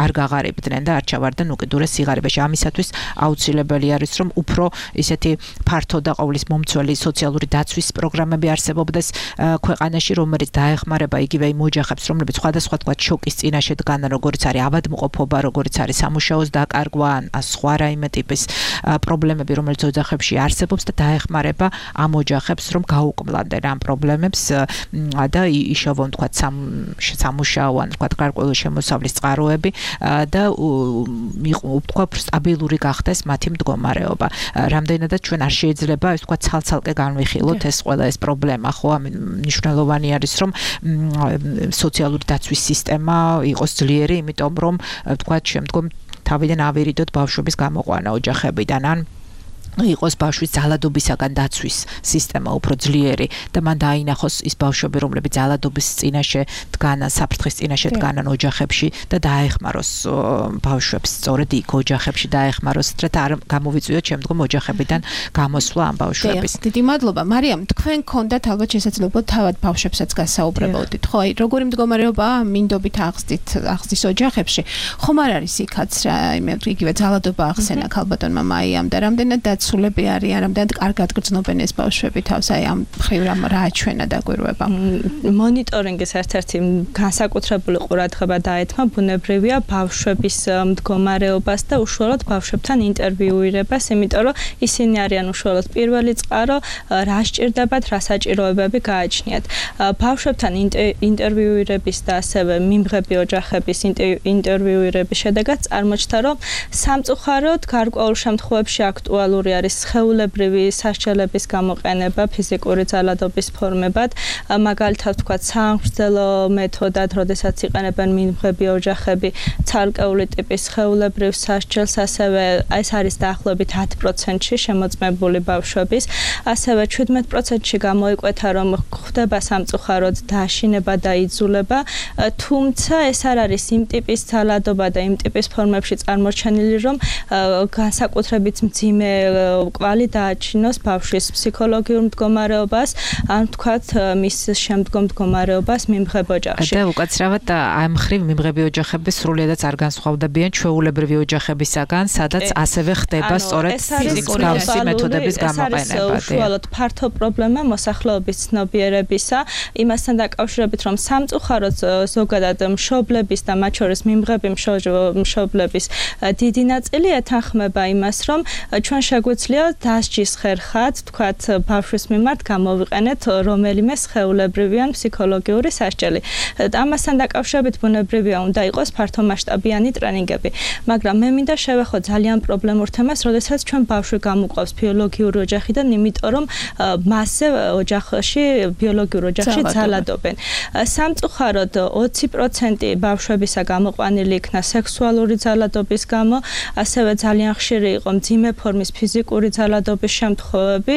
არ გაღარიბდნენ და არ ჩავარდნენ უკიდურეს სიღარიბეში. ამისათვის აუცილებელი არის, რომ უფრო ისეთი ფართო და ყოვლის მომცველი სოციალური დაცვის პროგრამები არსებობდეს ქვეყანაში, რომელიც დაეხმარება იგივე იმ ოჯახებს, რომლებიც სხვადასხვა თქვა შოკის წინაშე დგანან, როგორც არის ავადმყოფობა, როგორც არის სამუშაოს დაკარგვა, ან სხვა რაიმე ტიპის პრობლემები, რომელიც ოჯახებში არსებობს და დაეხმარება ამ ოჯახებს, რომ გაუკმლანდნენ ამ პრობლემებს და იშოვონ თქვა სამუშაო, ან თქვა გარკვეული შემოსავლის წყაროები და თქვა სტაბილური გახდეს მათი მდგომარეობა. რამდენადაც ჩვენ არ შეიძლება ეს თქვა ცალ-ცალკე განვიხილოთ ეს ყველა ეს პრობლემა, ხო? მნიშვნელოვანი არის, რომ სოციალური დაცვის სისტემა იყოს ძლიერი, იმიტომ რომ თქვა შემდგომ თავიდან ავირიდოთ ბავშვების გამოყვანა ოჯახებიდან, ან იყოს ბავშვის ძალადობისაგან დაცვის სისტემა უფრო ძლიერი და მან დაინახოს ის ბავშვები, რომლებიც ძალადობის წინაშე დგანან, საფრთხის წინაშე დგანან ოჯახებში და დაეხმაროს ბავშვებს სწორედ იქ ოჯახებში დაეხმაროს, რათა არ გამოვიწვიოთ შემდგომ ოჯახებიდან გამოსვლა ამ ბავშვების. დიდი მადლობა. მარიამ, თქვენ გქონდათ ალბათ შესაძლებლობა თავად ბავშვებსაც გასაუბრებოდით, ხო? აი, როგორი მდგომარეობაა მინდობით აღზრდით აღზრდის ოჯახებში? ხომ არ არის იქაც რა, იმე იგივე ძალადობა ახსენა ქალბატონმა მაიამ და რამდენად სულები არის, რამდენად კარგად გრძნობენ ეს ბავშვები თავს, აი ამ მხრივ რა აჩვენა დაგვირვება. მონიტორინგის ერთ-ერთი განსაკუთრებული ყურადღება დაეთმო ბუნებრივია ბავშვების მდგომარეობას და უშუალოდ ბავშვებთან ინტერვიუირებას, იმიტომ რომ ისინი არიან უშუალოდ პირველი წყარო, რა სჭირდებათ, რა საჭიროებები გააჩნიათ. ბავშვებთან ინტერვიუირების და ასევე მიმღები ოჯახების ინტერვიუირების შედეგად წარმოჩნდა, რომ სამწუხაროდ გარკვეულ შემთხვევებში აქტუალური არის სხეულებრივი სასჯელების გამოყენება ფიზიკური ძალადობის ფორმებად, მაგალითად ვთქვათ სამგრძელო მეთოდად, როდესაც იყენებენ მიმღები ოჯახები ცალკეული ტიპის სხეულებრივ სასჯელს, ასევე ეს არის დაახლოებით ათი პროცენტი შემოწმებული ბავშვების, ასევე შვიდმეტ პროცენტში გამოიკვეთა, რომ ხდება სამწუხაროდ დაშინება და იძულება, თუმცა ეს არ არის იმ ტიპის ძალადობა და იმ ტიპის ფორმებში წარმოჩენილი, რომ განსაკუთრებით მძიმე კვალი დააჩინოს ბავშვის ფსიქოლოგიურ მდგომარეობას, ან თქვათ მის შემდგომ მდგომარეობას მიმღებ ოჯახში. და უკაცრავად ამ მხრივ მიმღები ოჯახები სრულიადაც არ განსხვავდებიან ჩვეულებრივი ოჯახებისაგან, სადაც ასევე ხდება სწორედ მსგავსი მეთოდების გამოყენება. ეს არის უშუალოდ ფართო პრობლემა მოსახლეობის ცნობიერებისა, იმასთან დაკავშირებით, რომ სამწუხაროდ ზოგადად მშობლების და მათ შორის მიმღები მშობლების დიდი ნაწილი ეთანხმება იმას, რომ ჩვენ შეგვიძლია დასჯის ხერხად, თქვათ, ბავშვის მიმართ გამოვიყენეთ რომელიმე სხეულებრივი ან ფსიქოლოგიური სასჯელი. ამასთან დაკავშირებით ბუნებრივია უნდა იყოს ფართომასშტაბიანი ტრენინგები, მაგრამ მე მინდა შევეხო ძალიან პრობლემურ თემას, როდესაც ჩვენ ბავშვი გამოყვავს ბიოლოგიური ოჯახიდან, იმიტომ რომ მასზე ოჯახში ბიოლოგიურ ოჯახში ძალადობენ. სამწუხაროდ ოცი პროცენტი ბავშვებისა გამოყვანილი იქნა სექსუალური ძალადობის გამო, ასევე ძალიან ხშირი იყო მძიმე ფორმის ფიზიკური ძალადობის შემთხვევები,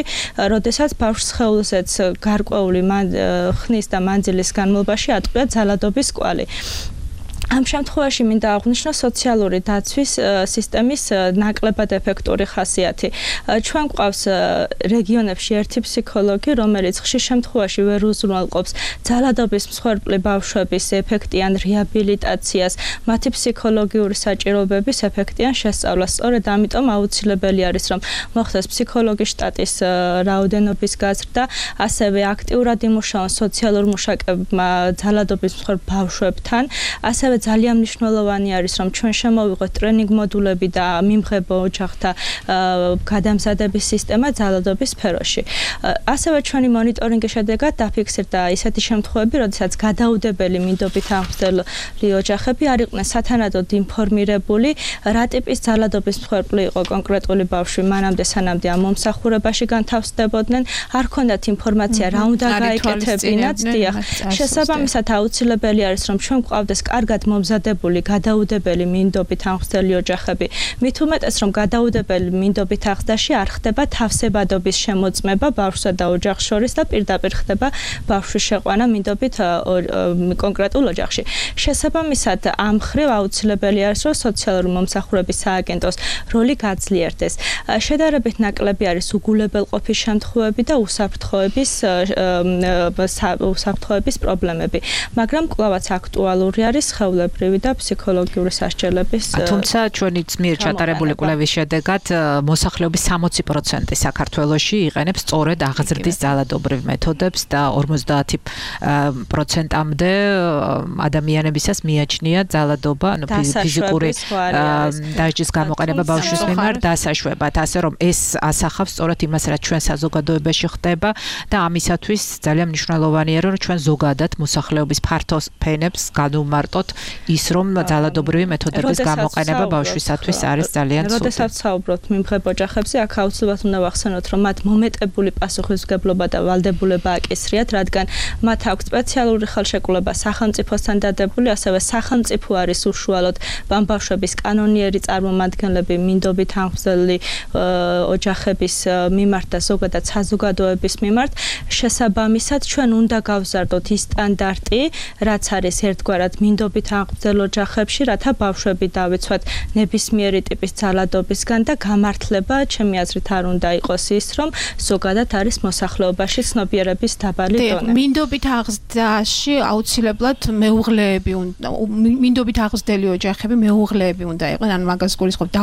როდესაც ბავშვს სხეულზეც გარკვეული ხნის და მანძილის განმავლობაში ატყვია ძალადობის კვალი. ამ შემთხვევაში მინდა აღვნიშნო სოციალური დაცვის სისტემის ნაკლებად ეფექტური ხასიათი. ჩვენ გვყავს რეგიონებში ერთი ფსიქოლოგი, რომელიც ხშირ შემთხვევაში ვერ უზრუნველყოფს ძალადობის მსხვერპლი ბავშვების ეფექტიან რეაბილიტაციას, მათი ფსიქოლოგიური საჭიროებების ეფექტიან შესწავლას. სწორედ ამიტომ აუცილებელი არის, რომ მოხდეს ფსიქოლოგის შტატის რაოდენობის გაზრდა, ასევე აქტიურად იმუშაონ სოციალურ მუშაკებმა ძალადობის მსხვერპ ბავშვებთან, ასევე ძალიან მნიშვნელოვანი არის, რომ ჩვენ შემოვიღოთ ტრენინგ მოდულები და მიმღებო ოჯახთა გადამზადების სისტემა ძალადობის სფეროში. ასევე ჩვენი მონიტორინგის შედეგად დაფიქსირდა ისეთი შემთხვევები, როდესაც გადაუდებელი მინდობით აღმზრდელი ოჯახები არ იყვნენ სათანადოდ ინფორმირებული, რა ტიპის ძალადობის მსხვერპლი იყო კონკრეტული ბავშვი მანამდე, სანამდე ამ მომსახურებაში განთავსდებოდნენ, არ ჰქონდათ ინფორმაცია, რა უნდა გაეკეთებინათ. დიახ, შესაბამისად აუცილებელი არის, რომ ჩვენ გვყავდეს კარგად მომზადებული გადაუდებელი მინდობით აღზრდელი ოჯახები, მით უმეტეს რომ გადაუდებელი მინდობით აღზრდაში არ ხდება თავსებადობის შემოწმება ბავშვსა და ოჯახს შორის და პირდაპირ ხდება ბავშვის შეყვანა მინდობით კონკრეტულ ოჯახში. შესაბამისად, ამ მხრივ აუცილებელი არის, რომ სოციალური მომსახურების სააგენტოს როლი გაძლიერდეს. შედარებით ნაკლები არის უგულებელყოფის შემთხვევები და უსაფრთხოების უსაფრთხოების პრობლემები, მაგრამ კვლავაც აქტუალური არის სხეულებრივი და ფსიქოლოგიური სასჯელების. თუმცა ჩვენი ძმიერ ჩატარებული კვლევის შედეგად მოსახლეობის სამოცი პროცენტი საქართველოში იყენებს სწორედ აღზრდის ძალადობრივ მეთოდებს და ორმოცდაათი პროცენტამდე ადამიანებისას მიაჩნია ძალადობა, ანუ ფიზიკური დასჯის გამოყენება ბავშვის მიმართ დასაშვებად, ასე რომ ეს ასახავს სწორედ იმას, რაც ჩვენ საზოგადოებაში ხდება და ამისათვის ძალიან მნიშვნელოვანია, რომ ჩვენ ზოგადად მოსახლეობის ფართოს ფენებს განვმარტოთ ის, რომ ძალადობრივი მეთოდების გამოყენება ბავშვისათვის არის ძალიან ცუდი. როდესაც საუბრობთ მიმღებ ოჯახებზე, აქ აუცილებლად უნდა ვახსენოთ, რომ მათ მომეტებული პასუხისმგებლობა და ვალდებულება აკისრიათ, რადგან მათ აქვს სპეციალური ხელშეკრულება სახელმწიფოსთან დადებული, ასევე სახელმწიფო არის უშუალოდ ბავშვების კანონიერი წარმომადგენლები მინდობით აღზრდელი ოჯახების მიმართ და ზოგადად საზოგადოების მიმართ. შესაბამისად, ჩვენ უნდა გავზარდოთ ის სტანდარტი, რაც არის ერთგვარად მინდობით აღზრდელ ოჯახებში, რათა ბავშვები დავიცვათ ნებისმიერი ტიპის ძალადობისგან და გამართლება, ჩემი აზრით, არ უნდა იყოს ის, რომ ზოგადად არის მოსახლეობაში ცნობიერების დაბალი დონე. მინდობით აღზრდაში აუცილებლად მეუღლეები უნდა მინდობით აღზრდელი ოჯახები მეუღლეები უნდა იყვნენ, ანუ მაგას გულისხმობ და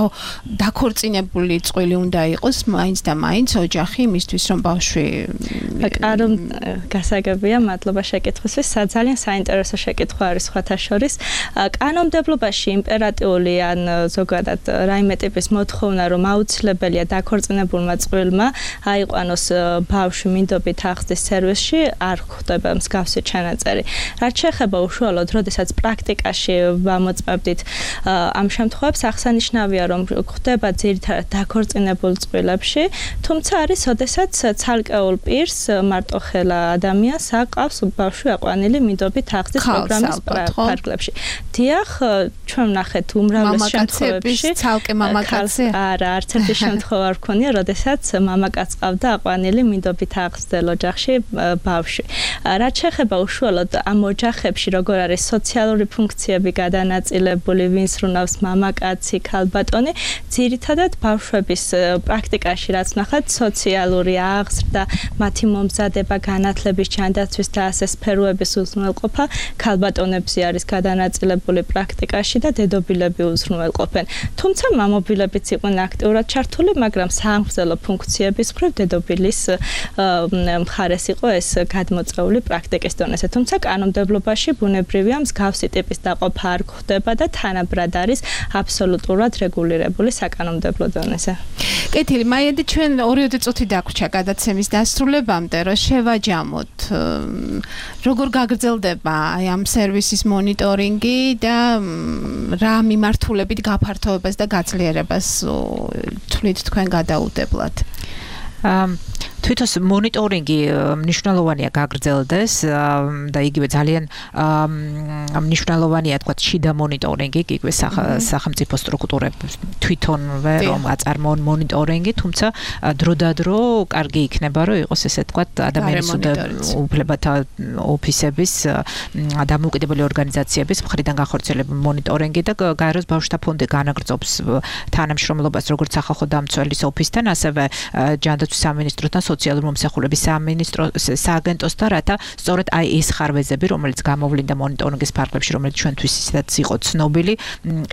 დაქორწინებული წყვილი უნდა იყოს მაინც და მაინც ოჯახი იმისთვის, რომ ბავშვი კარო გასაგებია, მადლობა შეკითხვისთვის. ძალიან საინტერესო შეკითხვა არის სხვათა შორის. კანონმდებლობაში იმპერატიული ან ზოგადად რაიმე ტიპის მოთხოვნა, რომ აუცილებელია დაქორწინებულმა წყვილმა აიყვანოს ბავშვი მინდობით აღზრდის სერვისში, არ ხდება მსგავსი ჩანაწერი. რაც შეეხება უშუალოდ, როდესაც პრაქტიკაში ვამოწმებდით ამ შემთხვევებს, აღსანიშნავია, რომ ხდება ძირითადად დაქორწინებულ წყვილებში, თუმცა არის, როდესაც ცალკეულ პირს მარტოხელა ადამიანს აყავს ბავშვი აყვანილი მინდობით აღზრდის პროგრამის ფარგლებში. დიახ, ჩვენ ვნახეთ უმრავლეს შემთხვევებში ცალკე მამაკაცი არა, არც ერთი შემთხვევა არ ვქონია, როდესაც მამაკაც ყავდა აყვანილი მინდობით აღზრდელ ოჯახში ბავშვი. რაც შეეხება უშუალოდ ამ ოჯახებში, როგორ არის სოციალური ფუნქციები გადანაწილებული, ვინ სრულავს მამაკაცი, ქალბატონი, ძირითადად ბავშვების პრაქტიკაში რაც ვნახეთ, სოციალური აღზრდა, მათი მომზადება, განათლების ჯანდაცვის და ასე სფეროების უზრუნველყოფა ქალბატონებზე არის გადანაწილებული პრაქტიკაში და დედობილები უზრუნველყოფენ. თუმცა მამობილებიც იყვნენ აქტიურად ჩართული, მაგრამ საამხსელო ფუნქციების მხრივ დედობილის მხარეს იყო ეს გადმოწეული პრაქტიკის დონეზე. თუმცა კანონმდებლობაში ბუნებრივია მსგავსი ტიპის დაყოფა არ გვხდება და თანაბრად არის აბსოლუტურად რეგულირებული საკანონმდებლო დონეზე. კეთილი, მაიადი, ჩვენ ორიოდე წუთი დაგვრჩა გადაცემის დასრულებამდე, რომ შევაჯამოთ როგორ გაგრძელდება აი ამ სერვისის მონიტორინგი და რა მიმართულებით გაფართოებას და გაძლიერებას თვლით თქვენ გადაუდებლად. თვითონ მონიტორინგი მნიშვნელოვანია გაგრძელდეს და იგივე ძალიან მნიშვნელოვანია თქვა შიდა მონიტორინგი, იგივე სახელმწიფო სტრუქტურები თვითონვე რომ აწარმოონ მონიტორინგი, თუმცა დროდადრო კარგი იქნება რომ იყოს ესე თქვა ადამიანის უფლებათა ოფისების დამოუკიდებელი ორგანიზაციების მხრიდან განხორციელებული მონიტორინგი და გაეროს ბავშვთა ფონდი განაგრძობს თანამშრომლობას როგორც სახალხო დამცველის ოფისთან, ასევე ჯანდაცვის სამინისტროსთან, სოციალური მომსახურების სამინისტრო სააგენტოსთან, რათა სწორედ აი ეს ხარვეზები, რომელიც გამოვლინდა მონიტორინგის ფარგლებში, რომელიც ჩვენთვის ისედაც იყო ცნობილი,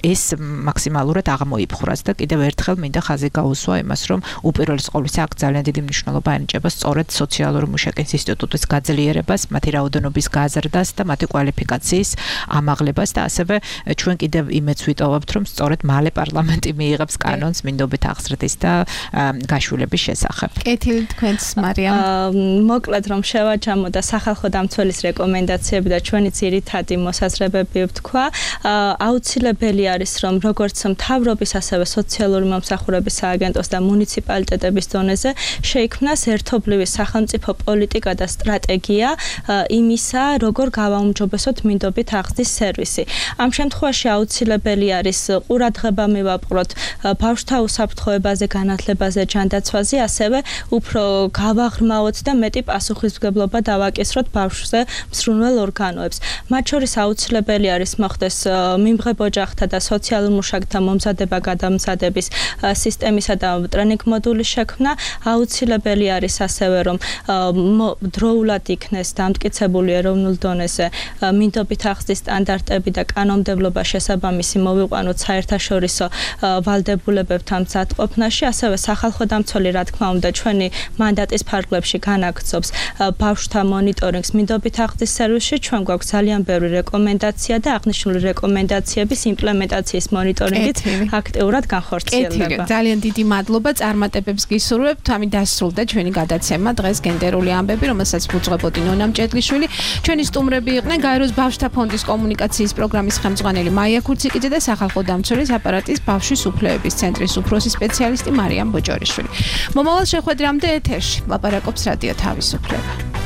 ეს მაქსიმალურად აღმოიფხვრას და კიდევ ერთხელ მინდა ხაზი გაუსვა იმას, რომ უპირველეს ყოვლისა აქ ძალიან დიდი მნიშვნელობა ენიჭება სწორედ სოციალური მუშაკის ინსტიტუტის გაძლიერებას, მათი რაოდენობის გაზრდას და მათი კვალიფიკაციის ამაღლებას და ასევე ჩვენ კიდევ იმედს ვიტოვებთ, რომ სწორედ მალე პარლამენტი მიიღებს კანონს მინდობით აღზრდის და გაშვილების შესახებ. კეთილი, თქვენ თქვენს მარიამ? მოკლედ რომ შევაჯამო და სახალხო დამცველის რეკომენდაციები და ჩვენი ძირითადი მოსაზრებები ვთქვა, აუცილებელი არის რომ როგორც მთავრობის ასევე სოციალური მომსახურების სააგენტოს და მუნიციპალიტეტების დონეზე შეიქმნას ერთობლივი სახელმწიფო პოლიტიკა და სტრატეგია იმისა, როგორ გავაუმჯობესოთ მინდობით აღზრდის სერვისი. ამ შემთხვევაში აუცილებელი არის ყურადღება მივაპყროთ ბავშვთა უსაფრთხოებაზე, განათლებაზე, ჯანდაცვაზე, ასევე უფრო გავაღრმავოთ და მეტი პასუხისმგებლობა დავაკისროთ ბავშვზე მსრუნველ ორგანოებს. მათ შორის აუცილებელი არის მოხდეს მიმღებ ოჯახთა და სოციალურ მუშაკთა მომზადება გადამზადების სისტემისა და ტრენინგ მოდულის შექმნა. აუცილებელი არის ასევე რომ დროულად იქნეს დამტკიცებული ეროვნულ დონეზე მინდობით აღზრდის სტანდარტები და კანონმდებლობა შესაბამისი მოვიყვანოთ საერთაშორისო ვალდებულებებთან მზადყოფნაში, ასევე სახალხო დამცველი რა თქმა უნდა ჩვენი მანდატის ფარგლებში განაგრძობს ბავშვთა მონიტორინგს მინდობით აღზრდის სერვისში. ჩვენ გვაქვს ძალიან ბევრი რეკომენდაცია და აღნიშნული რეკომენდაციების იმპლემენტაციის მონიტორინგით აქტიურად განხორციელდება. ძალიან დიდი მადლობა, წარმატებებს გისურვებთ. ამით დასრულდა ჩვენი გადაცემა დღეს გენდერული ამბები, რომელსაც უძღვებოდი ნონა მჭედლიშვილი. ჩვენი სტუმრები იყვნენ გაეროს ბავშვთა ფონდის კომუნიკაციის პროგრამის ხელმძღვანელი მაია ქურციკიძე და სახალხო დამცველის აპარატის ბავშვის უფლებების ცენტრის უფროსი სპეციალისტი მარიამ ბოჭორიშვილი. მომავალ შეხვედრამდე ეთერში ლაპარაკობს რადიო თავისუფლება.